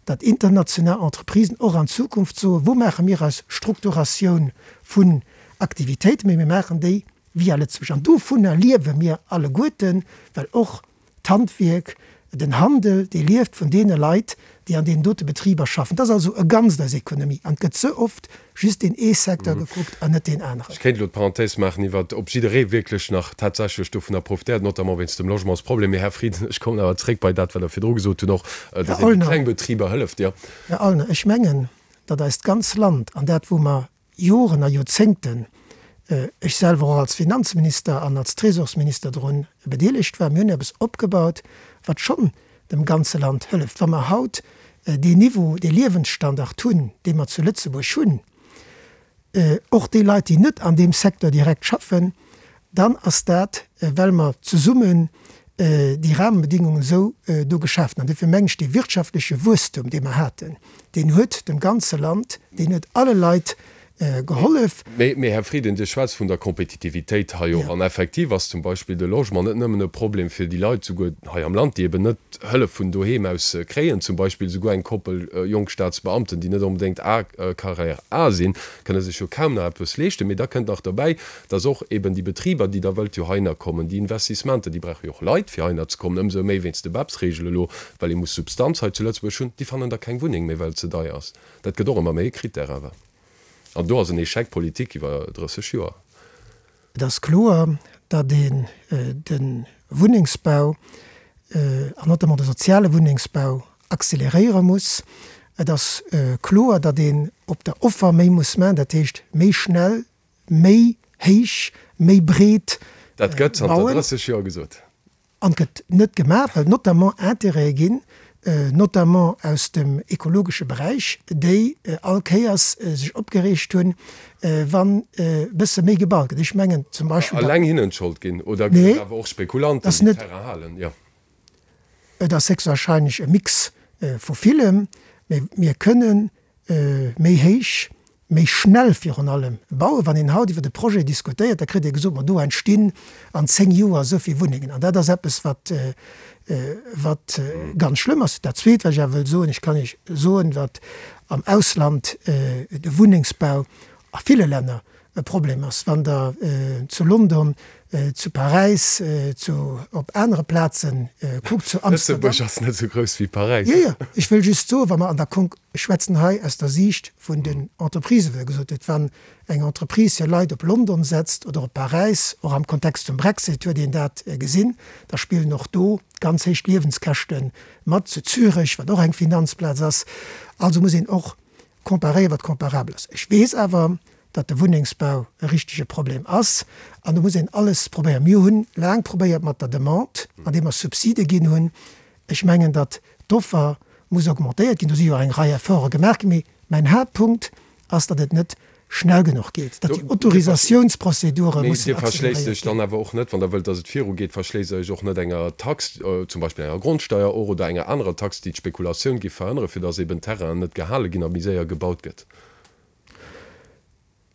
datt international Entreprisen och an Zukunft soen, wou maache mir eis Strukturatioun vun Aktivitéiten, mee mir maachen déi via Lëtzebuerg. An dovunner liewe mir alleguerten, well och d'Handwierk, den Handel, dee lieft vun deene Leit, déi an deenen dote Betriber schaffen. Dat ass also e Ganzt, eis Ekonomie. An et gëtt ze oft just deen ee Secteur gekuckt an net deen aneren. Ech kéint elo d'Parenthèse maachen iwwert, ob jidderee wierklech nach tatsächlech dovunner profitéiert, notamment wéinst dem Logementsproblem. Mee, Här Frieden, ech kommen awer zréck bei dat, wat Der virdru gesot hunn, och, Här datt een de Aulner, kleng Betriber hëlleft, jo. Här Aulner, ech mengen, datt eist ganz Land an dat, wou mer Joren a Joerzéngten, ech selwer och als Finanzminister an als Trésorsminister drun bedeelegt war, mir hunn eppes opgebaut, wat schonn dem ganze Land hëlleft. Wa mer haut deen Niveau, dee Liewensstandard hunn, dee mer zu Lëtzebuerg hunn, och déi Leit, déi net an deem Secteur direkt schaffen, dann ass dat, well mer zesummen déi Rahmenbedingungen esou do geschaaft hunn. An duerfir mengen ech, dee wirtschaftleche Wuesstum, dee mer haten, deen huet dem ganze Land, deen huet alle Leit gehollef. Mee, Här Frieden, Dir schwätzt vun der Kompetitivitéit hei och. An effektiv ass zum Beispill de Logement net nëmmen e Problem fir déi Leit souguer hei am Land, déi eben net Hëllef vun doheem aus kréien. Zum Beispill souguer eng Koppel jonk Staatsbeamten, déi net onbedéngt A, Carrière A sinn, kënne sech jo kaum nach eppes leeschten. Mee da kënnt nach derbäi, dass och eben déi Betriber, déi da wëllt jo heihinner kommen, déi Investissementer, déi brauche jo och Leit, fir heihinner ze kommen, ëmsou méi wéinst de BEPS-Regele elo, well ee muss Substanz hei zu Lëtzebuerg hunn, déi fannen da keng Wunneng méi, well et ze deier ass. Dat gëtt och ëmmer méi e Critère awer. An do ass en Échec politique iwwer drësseg Joer. Et ass kloer, datt een de Wunnengsbau, an notamment de soziale Wunnengsbau, acceleréiere muss. Et ass kloer, datt een op der Offer méi muss maachen, dat heescht méi schnell, méi héich, méi breet bauen. Dat gëtt zanter drësseg Joer gesot. An gëtt net gemaach, well notamment Intérêtë ginn, notamment aus dem ekologesche Beräich, déi all Kéiers sech opgereegt hunn, wann e bësse méi gebaut gëtt. Ech mengen zum Beispill. Alleng hinnen d'Schold ginn oder ginn et awer och Spekulanten, déi Terrain halen? Jo. Et ass héchstwahrscheinlech e Mix vu villem, mä mir kënnen méi héich, méi schnell virun allem bauen. Wann een haut iwwert e Projet diskutéiert, da kritt ee gesot, ma do entstinn an zéng Joer esou vill Wunnengen. An dat ass eppes, wat, wat ganz schlëmm ass. Dat Zweet, wat ech awer wëll soen, Ech kann Iech soen, wat am Ausland de Wunnengsbau a ville Länner e Problem ass. Wann Der zu London, zu Paräis, zu, op anere Plaze kuckt, zu Amsterdam. Lëtzebuerg ass net esou grouss wéi Paräis. Jo, jo, ech wëll just soen, wa mer an der Konk, ech schwätzen hei aus der Siicht vun den Entreprisen, wéi Der gesot hutt, wann eng Entreprise hir Leit op London setzt oder op Paräis, och am Kontext vum Brexit huet een dat gesinn, da spillen och do ganz héich Liewenskäschte mat, zu Zürech, wat och eng Finanzplaz ass. Also muss een och comparéieren, wat comparabel ass. Ech weess awer, datt de Wunnengsbau e richtege Problem ass an do muss een alles probéieren. Mir hunn laang probéiert mat der Demande, andeem mer Subside ginn hunn. Ech mengen, datt d'Offer muss augmentéiert ginn. Do si jo eng Rei Efforte gemaach ginn. Mee mäin Haaptpunkt ass, datt et net schnell genuch geet, datt déi Autorisatiounsprozedure Mee mussen Dir verschléisst acceleréiert Iech dann ginn. awer och net, wann Der wëllt, datt et virugeet, verschléisst Der Iech och net enger Tax, zum Beispill enger Grondsteier och oder enger anerer Tax, déi d'Spekulatioun géif verhënneren, fir datt eben Terrainen net gehale ginn a méi séier gebaut gëtt?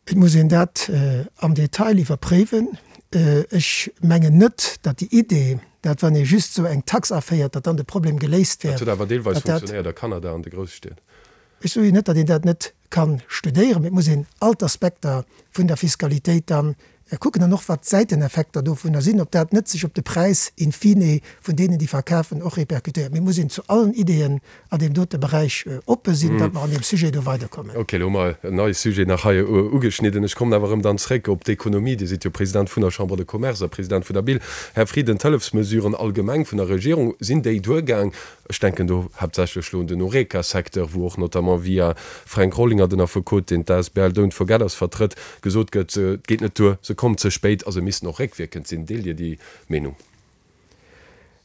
Et muss een dat am Detail iwwerpréiwen. Ech mengen net, datt déi Idee, dat wann ee just esou eng Tax aféiert, datt dann de Problem geléist Dat wär. huet awer deelweis Datt dat. funktionéiert a Kanada an de Grousstied. Ech soe jo net, datt een dat net ka studéieren, mee et muss een all d'Aspekter vun der Fiskalitéit dann kucken an och wat d'Säiteneffekter dovunner sinn, ob dat net sech op de Präis in fine vun deenen, déi verkafen, och répercutéiert. Mee et muss een zu allen Ideeën an deem dote Beräich oppe sinn, datt mer an deem Sujet do weiderkommen. Ok, elo hu mer en neie Sujet nach hei ugeschnidden. Ech kommen awer erëm dann zréck op d'Ekonomie. Dir sidd jo President vun der Chambre de Commerce a President vun der BIL. Här Frieden, d'Hëllefsmesuren allgemeng vun der Regierung, sinn déi duergaang? Ech denken do haaptsächlech elo un den Horeca-Secteur, wou och notamment via Fränk Rollinger, den Affekot, deen d'Asbl Don't Forget Us vertrëtt, gesot gëtt, et geet net duer, se kommen ze spéit a se missten och réckwierkend sinn. Deelt Dir déi Meenung?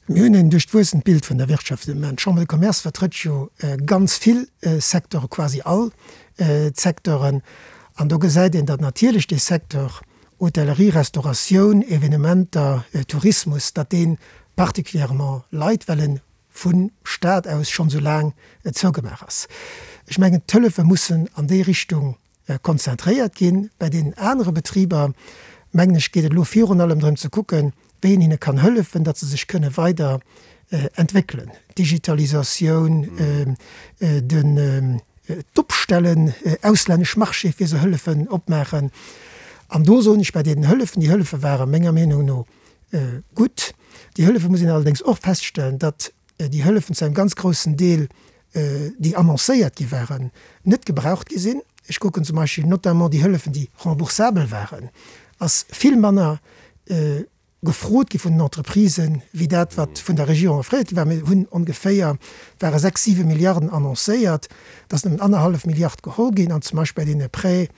Mir hunn en duerchwuessent Bild vun der Wirtschaft de Moment. D'Chambre de Commerce vertrëtt jo ganz vill Secteure, quasi all d'Secteuren. An do gesäit een, datt natierlech dee Secteur Hotellerie, Restauratioun, Evenementer, Tourismus, datt dee particulièrement leit, well en vu Staat aus schonn esou laang zougemaach ass. Ech mengen, d'Hëllefe mussen an déi Richtung konzentréiert ginn. Bei deenen anere Betriber, mengen ech, geet et elo virun allem drëm ze kucken, wéi een hinne kann hëllefen, datt se sech kënne weider entwéckelen, Digitalisatioun, den d'Opstellen, auslännesch Marchéë fir se hëllefen opmaachen. An do soen ech, bei deenen Hëllefen, déi Hëllefe ware menger Meenung no gutt. Déi Hëllefe muss een allerdéngs och feststellen, datt déi Hëllefen zu engem ganz groussen Deel, déi annoncéiert gi waren, net gebraucht gi sinn. Ech kucken zum Beispill notamment déi Hëllefen, déi remboursabel waren, ass vill manner gefrot gi vun den Entreprisen, wéi dat, wat vun der Regierung offréiert gi war. Mir hunn ongeféier, et ware sechs, siwe Milliarden annoncéiert, et ass nëmmen annerhallef Milliard geholl ginn. An zum Beispill bei deene Prêten,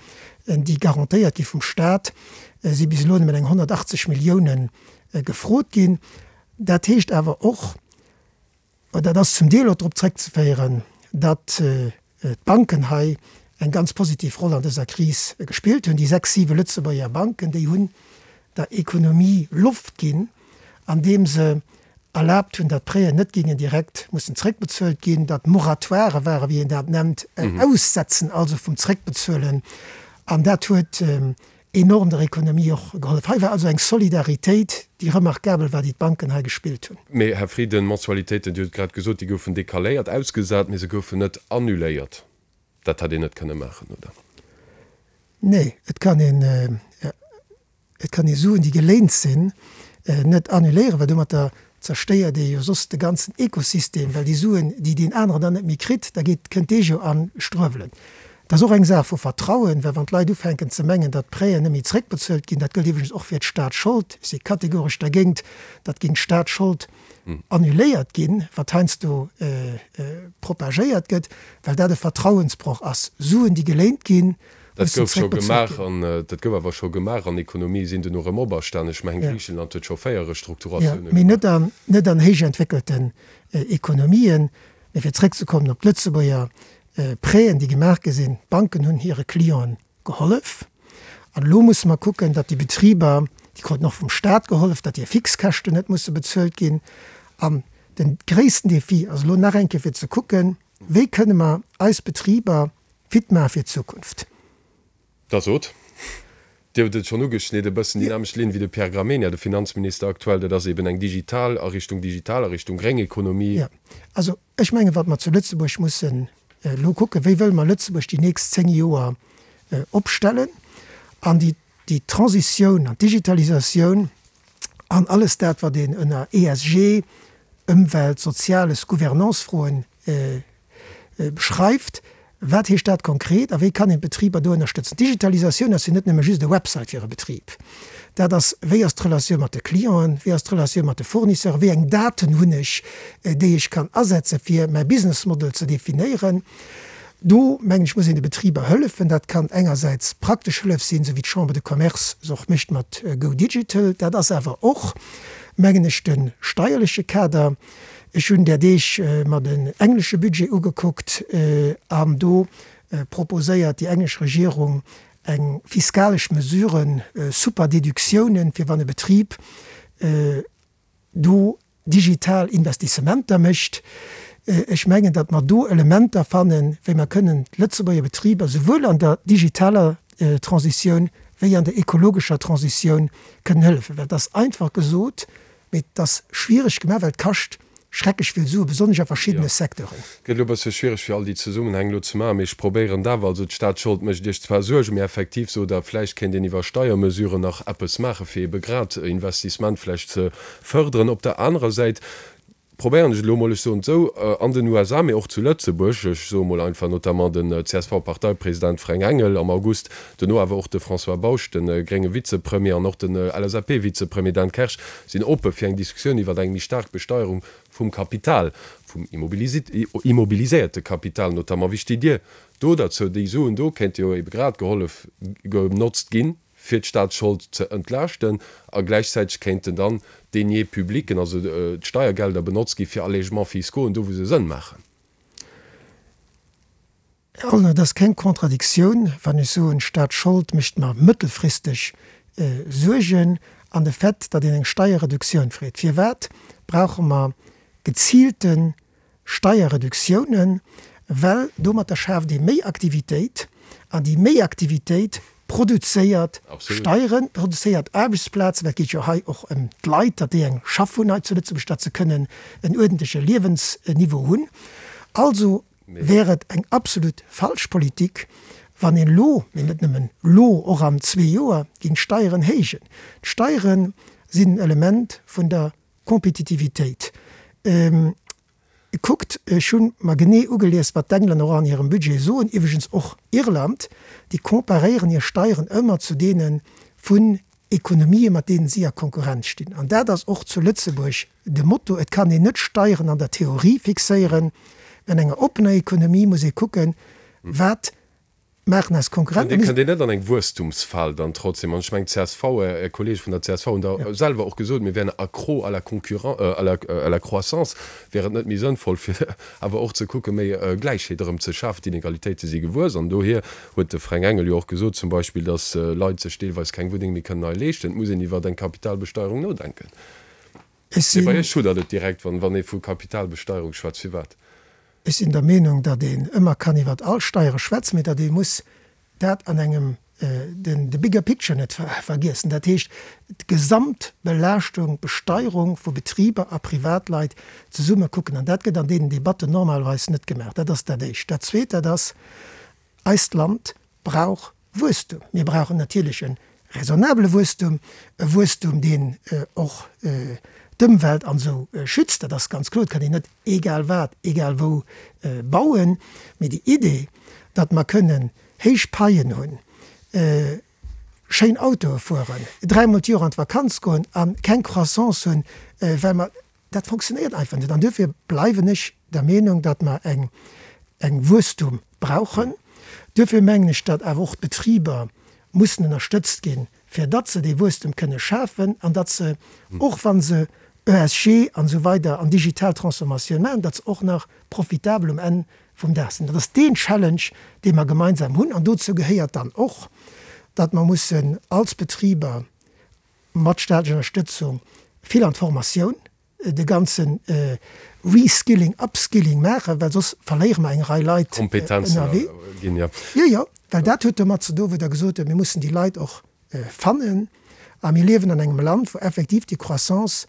déi garantéiert gi vum Stat, si bis elo nëmmen eng honnertachtzeg Milliounen gefrot ginn. Dat heescht awer och, dat ass zum Deel och drop zréckzeféieren, datt d'Banken hei eng ganz positiv Roll an dëser Kris gespillt hunn. Déi sechs, siwe Lëtzebuerger Banken, déi hunn der Ekonomie Loft ginn, andeem se erlaabt hunn, datt d'Prêten net géingen direkt mussen zréckbezuelt ginn, datt Moratoire waren, wéi een dat nennt, en Aussetzen also vum Zréckbezuelen. An dat huet enorm der Ekonomie och gehollef. Hei war also eng Solidaritéit, déi remarkabel war, déi d'Banken hei gespillt hunn. Mee, Här Frieden, d'Mensualitéiten, Dir hutt et grad gesot, déi goufen decaléiert, ausgesat, mee se goufen net annuléiert. Dat hätt een net kënne maachen, oder? Nee, et kann een, et kann ee Suen, déi geléint sinn, net annuléieren, well domatter zerstéiert ee jo soss de ganzen Ekosystem, well déi Suen, déi deen aneren dann net méi kritt, da geet, kënnt dee jo a Struewelen. Et ass och eng Saach vu Vertrauen, well wann d'Leit ufänken ze mengen, datt d'Prêten net méi zréckbezuelt ginn, dat gëllt iwwregens och fir d'Staatsschold, ech si kategoresch dergéint, datt géing d'Staatsschold annuléiert ginn, wat heiansdo propagéiert gëtt, well dat e Vertrauensbroch ass. Suen, déi geléint ginn, Dat gouf scho gemaach an dat gouf awer scho gemaach an Ekonomië sinn duerno erëm operstan. Ech mengen, Griichenland huet scho véier Restrukturatioune gemaach. Mee net an, net an héich entwéckelten Ekonomien. Mee fir zréckzekommen op d'Lëtzebuerger Prêten, déi gemaach gi sinn, d'Banken hunn hire Clienten gehollef. An elo musse mer kucken, datt déi Betriber, déi kruten och vum Staat gehollef, datt hir Fixkäschten net musse bezuelt ginn. An de gréissten Defi ass elo nach eng Kéier fir ze kucken, wéi kënne mer eis Betriber fit maache fir d'Zukunft. Da sot. Dir hutt et schonn ugeschnidden, e bëssen déi nämmlecht Linn wéi de Pierre Gramegna, de Finanzminister aktuell, dat ass eben eng digital, a Richtung digital, a Richtung gréng Ekonomie. Jo, also ech mengen, wat mer zu Lëtzebuerg mussen elo kucken, wéi wëlle mer Lëtzebuerg déi nächst zéng Joer opstellen an déi, déi Transitioun an d'Digitalisatioun an alles dat, wat een ënner E S G, Ëmwelt-, Soziales, Gouvernance-Froen beschreift. Wat heescht dat konkret a wéi kann een d'Betriber do ënnerstëtzen? D'Digitalisatioun ass jo net nëmme just e Website fir e Betrib. Dat ass, wéi ass d'Relatioun mat de Clienten, wéi ass d'Relatioun mat de Fournisseuren, wéi eng Daten hunn ech, déi ech kann asetze fir mäi Business Model ze definéieren. Do, mengen ech, muss een de Betriber hëllefen. Dat kann engersäits praktesch Hëllef sinn, esou wéi d'Chambre de Commerce se och mécht mat Go Digital. Dat ass awer och, mengen ech, de steierleche Kader. Ech hunn där Deeg mer den englesche Budget ugekuckt an do proposéiert déi englesch Regierung eng fiskalesch Mesure, Super-Déductiounen, fir wann e Betrib do digital Investissementer mécht. Ech mengen, datt mer do Elementer fannen, wéi mer kënnen d'Lëtzebuerger Betriber souwuel an der digitaler Transitioun wéi an der ekologescher Transitioun kënnen hëllefen. Well et ass einfach gesot, mee et ass schwiereg gemaach, well et kascht schrecklech vill Suen, besonnesch a verschiddene Secteuren. Gëtt elo e bësse schwiereg fir all déi Zesummenhäng elo ze maachen, mee ech probéieren et awer. Also d'Staatsschold mécht Iech zwar Suergen, mee effektiv sot Der, vläicht kéint een iwwer Steiermesuren nach eppes maachen, fir ebe grad Investissement vläicht ze fërderen. Op der anerer Säit probéieren ech elo emol, ech soen et esou, an den U S A, mee och zu Lëtzebuerg, ech soe mol einfach notamment den C S V-Parteipresident Fränk Engel am August, duerno awer och de François Bausch, de grénge Vizepremier, an och den L S A P-Vizepremier Dan Kersch sinn oppe fir eng Diskussioun iwwer eng méi staark Besteierung vum Kapital, vum immobiliséierte Kapital notamment. Wéi steet Dir do derzou? Déi Suen do kéinte jo ebe grad gehollef, genotzt ginn, fir d'Staatsschold ze entlaaschten, a gläichzäiteg kéinten dann d'Deniers publics, also d'Steiergelder, benotzt gi fir Allègements fiscaux, do wou se Sënn maachen. Här Ollner, et ass keng Contradictioun, wann ech soen, d'Staatsschold mécht mer mëttelfristeg Suergen, an de Fait, datt een eng Steierreduktioun freet. Firwat brauche mer geziilte Steierreduktiounen? Well domatter schaaft ee méi Aktivitéit, an déi méi Aktivitéit produzéiert Steieren, produzéiert Aarbechtsplazen, well et geet jo hei och ëm d'Leit, datt déi eng Schaff hunn hei zu Lëtzebuerg, datt se kënnen en uerdentleche Liewensniveau hunn. Also wär et eng absolut falsch Politik, wann een elo, mee net nëmmen elo, och an zwee Joer, géing d'Steieren héijen. D'Steiere sinn en Element vun der Kompetitivitéit. Kuckt, ech hu mer genee ugelies, wat d'Englänner och an hirem Budget soen, iwwregens och Irland, déi comparéieren hir Steieren ëmmer zu deene vun Ekonomië mat deenen si a Konkurrenz stinn. An dat ass och zu Lëtzebuerg de Motto. Et kann een net Steieren an der Theorie fixéieren, mä an enger oppener Ekonomie muss ee kucken, wat maachen eis Konkurrenten. Kënnt Dir net an eng Wuesstumsfal dann trotzdem? An ech mengen, d'C S V, Är Kollege vun der C S V hunn da selwer och gesot, mir wären accro à la concurren-, à la, à la croissance. Wär et net méi sënnvoll, fir awer och ze kucken, méi Gläichheet erëm ze schafen? D'Inegalitéite si gewuess. An dohier huet de Fränk Engel jo och gesot zum Beispill, datt Leit sech deelweis keng Wunneng méi kënnen hei leeschten. Et muss een iwwer eng Kapitalbesteierung nodenken. Ech Mee bei sinn. Iech schuddert et direkt, wann, wann ee vu Kapitalbesteierung schwätzt. Firwat? Ech sinn der Meenung, datt een ëmmer kann iwwert all Steiere schwätzen, mee datt ee muss dat an engem den de bigger picture net vergiessen, dat heescht d'Gesamtbelaaschtung, d'Besteierung vu Betriber a Privatleit zesumme kucken. An dat gëtt an deenen Debatten normalerweis net gemaach. Dat ass dat Éischt. Dat Zweet, dat ass, eist Land brauch Wuesstum. Mir brauchen natierlech e raisonnabele Wuesstum, e Wuesstum, deen och d'Ëmwelt an esou schützt, dat ass ganz kloer. Et kann een net egal wat, egal wou bauen. Mee déi Idee, datt mer kënnen héich Paien hunn, schéin Autoe fueren, dräimol d'Joer an d'Vakanz goen a keng Croissance hunn, well mer, dat fonctionnéiert einfach net. An duerfir bleiwen ech der Meenung, datt mer eng eng Wuesstum brauchen. Duerfir mengen ech, datt awer och d'Betriber mussen ënnerstëtzt ginn, fir datt se dee Wuesstum kënne schafen an datt se, och wa se E S G an esou weider an digital Transformatioun maachen, datt se och nach profitabel um Enn vum Dag sinn. Dat ass deen Challenge, dee mer gemeinsam hunn. An dozou gehéiert dann och, datt mer mussen als Betriber mat staatlecher Ënnerstëtzung vill an d'Formatioun, de ganze Reskilling, Upskilling maachen, well soss verléiere mer eng Rei Leit ënnerwee. Jo, jo, well dat huet domat ze doen, wou Der gesot hutt, mir mussen déi Leit och fannen. A mir liewen an engem Land, wou effektiv déi Croissance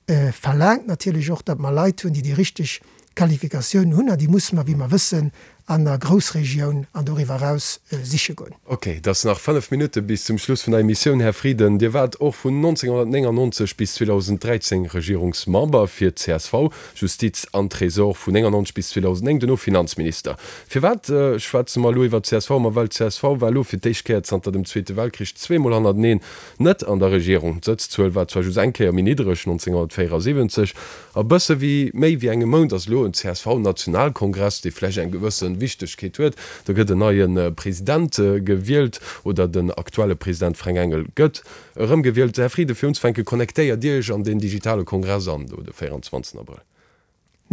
verlaangt natierlech och, datt mer Leit hunn, déi déi richteg Qualifikatiounen hunn, an déi musse mer, wéi mer wëssen, an der Groussregioun an doriwwer eraus siche goen. Ok, et ass nach fënnef Minutte bis zum Schluss vun der Emissioun. Här Frieden, Dir waart och vun nonzénghonnertnéngannonzeg bis zweedausend dräizéng Regierungsmember fir d'C S V, Justiz an Trésor vun néngannonzeg bis zweedausendnéng, duerno Finanzminister. Firwat schwätze mer elo iwwer d'C S V? Ma well d'C S V war elo fir d'éischt Kéier zanter dem Zweete Weltkrich zweemol hannerteneen net an der Regierung. D'Sëtzzuel war zwar just eng Kéier méi niddereg, nonzénghonnertvéierasiwwenzeg. A bësse wéi méi wéi engem Mount ass elo en C S V-Nationalkongress, dee vläicht eng gewësse Wichtegkeet huet. Do gëtt en neie President gewielt, oder den aktuelle President Fränk Engel gëtt erëmgewielt. Här Frieden, fir unzefänken, connectéiert Dir Iech an deen digitale Kongress an do de véierundzwanzegsten Abrëll?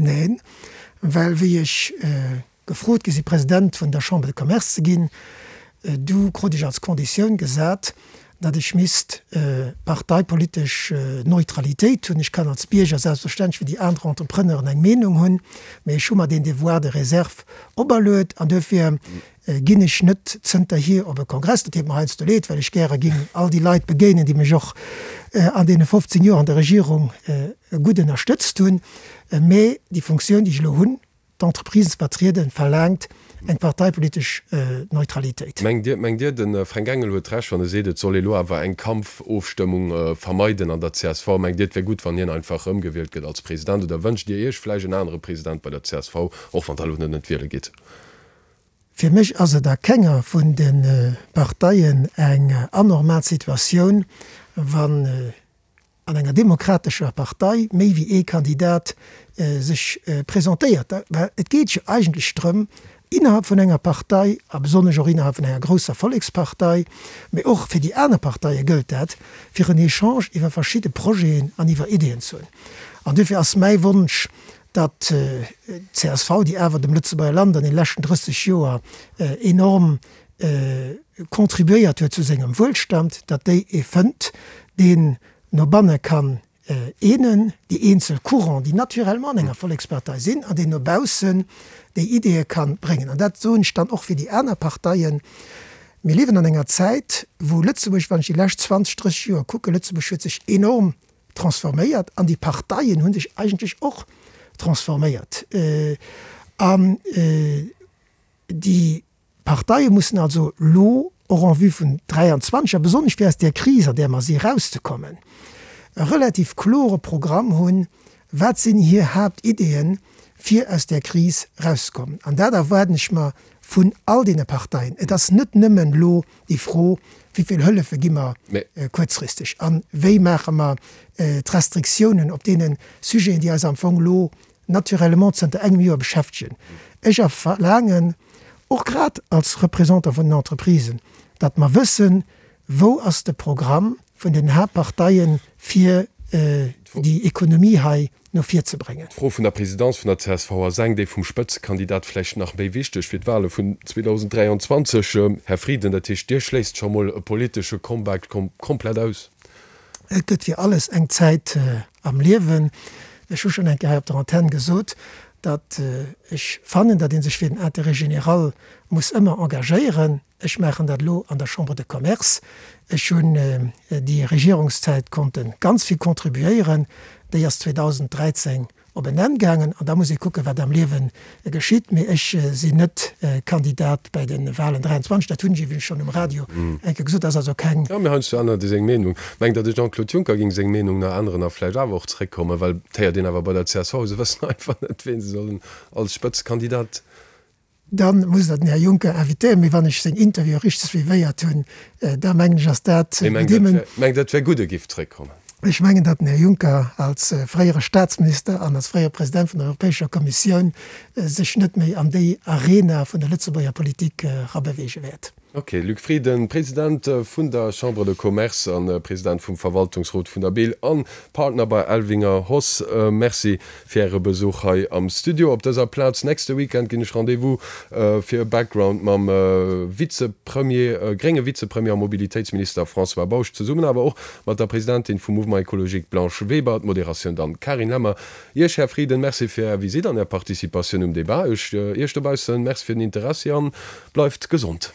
Neen, well wéi ech gefrot gi si President vun der Chambre de Commerce ze ginn, du krut ech als Konditioun gesat, datt ech misst parteipolitesch Neutralitéit hunn. Ech kann als Bierger selbstverständlech wéi déi aner Entrepreneuren eng Meenung hunn, mee ech hu mer deen Devoir de réserve operluet an duerfir ginn ech net zënterhier op e Kongress. Dat deet mer heiansdo leed, well ech gäre géing all déi Leit begéinen, déi mech och an deene fofzéng Joer an der Regierung gutt ënnerstëtzt hunn. Mee déi Funktioun, déi ech elo hunn, d'Entreprisen ze vertrieden, verlaangt eng parteipolitesch Neutralitéit. Mengt Dir, mengt Dir, de Fränk Engel huet Recht, wann e seet, et soll ee lo awer eng Kampfofstëmmung vermeiden an der C S V? Mengt Dir, et wär gutt, wann hien einfach erëmgewielt gëtt als President? Oder wënscht Dir Iech vläicht en anere President bei der C S V, och wann Der elo net net wiele gitt? Fir mech ass et a kenger vun de Parteien eng anormal Situatioun, wann an enger demokratescher Partei méi wéi ee Kandidat sech presentéiert. Well et geet jo eigentlech drëm, innerhalb vun enger Partei, a besonnesch och innerhalb vun enger grousser Vollekspartei, mee och fir déi aner Parteie gëllt dat, fir en Echange iwwer verschidde Projeten an iwwer Ideeën ze hunn. An duerfir ass mäi Wonsch, datt d'C S V, déi awer dem Lëtzebuerger Land an de leschten drësseg Joer enorm contribuéiert huet zu sengem Wuelstand, datt déi ee fënnt, deen no banne kann eenen, déi eenzel Courants, déi naturellement an enger Vollekspartei sinn, an deen no baussen déi Ideeë ka bréngen. An dat soen ech dann och fir déi aner Parteien. Mir liewen an enger Zäit, wou Lëtzebuerg, wann ech déi lescht zwanzeg, drësseg Joer kucken, Lëtzebuerg huet sech enorm transforméiert an déi Parteien hu sech eigentlech och transforméiert. An déi Parteie mussen also elo och en vue vun dräianzwanzeg a besonnesch fir aus där Kris, an där mer si, erauszekommen, e relativ klore Programm hunn, wat sinn hir Haaptideeën, fir aus där Kris erauszekommen. An dat erwaarden ech mer vun all deene Parteien. Et ass net nëmmen elo déi Fro, wéi vill Hëllefe gi mer kuerzfristeg a wéi maache mer d'Restriktiounen op deene Sujeten, déi eis am Fong elo naturellement zënter engem Joer beschäftegen. Ech verlaangen, och grad als Représentant vun den Entreprisen, datt mer wëssen, wou ass de Programm vun den Haaptparteien, fir déi Ekonomie hei no vir ze bréngen. D'Fro vun der Présidence vun der C S V ass eng, déi vum Spëtzekandidat vläicht nach méi wichteg fir d'Wahle vun zweedausend dräianzwanzeg. Här Frieden, dat heescht, Dir schléisst scho mol e politesche Comeback komplett aus? Et gëtt fir alles eng Zäit am Liewen. Ech hu schonn eng Kéier hei op der Antenn gesot, datt ech fannen, datt ee sech fir den Intérêt général muss ëmmer engagéieren. Ech maachen dat elo an der Chambre de Commerce. Ech hunn déi Regierungszäit konnte ganz vill contribuéieren. Déi ass zweedausenddräizéng op en Enn gaangen an da muss ee kucken, wat am Liewe geschitt. Mee ech sinn net Kandidat bäi de Wahlen dräianzwanzeg. Dat hunn ech iwwregens schonn um Radio eng Kéier gesot. Dat ass also keng. Jo, mee heiansdo ännert ee seng Meenung. Mengt Der, de Jean-Claude Juncker géing seng Meenung nach änneren a vläicht awer och zeréckkommen? Well et héiert een awer bei der C S V, se wëssen einfach net, wien se sollen als Spëtzekandidat. Dann muss Der den Här Juncker invitéieren. Mee wann ech seng Interviewe richteg suivéiert hunn, da mengen ech, ass dat. Mee mengt Der, mengt Der, et wär gutt, e giff zeréckkommen? Ech mengen, datt den Här Juncker als fréiere Staatsminister an als fréiere President vun der Europäescher Kommissioun sech net méi an déi Arena vun der Lëtzebuerger Politik erabeweege wäert. Ok, Luc Frieden, President vun der Chambre de Commerce a President vum Verwaltungsrot vun der BIL an Partner bei Elvinger Hoss, Merci fir Äre Besuch hei am Studio op dëser Plaz. Nächste Weekend ginn ech Rendez-vous fir e Background mam Vizepremier, grénge Vizepremier a Mobilitéitsminister François Bausch, zesummen awer och mat der Presidentin vum Mouvement Écologique Blanche Weber, d'Moderatioun dann Carine Lemmer. Iech, Här Frieden, Merci fir Är Visitt an Är Participatioun um Debat. Iech dobaussen Merci fir den Interessi an bleift gesond.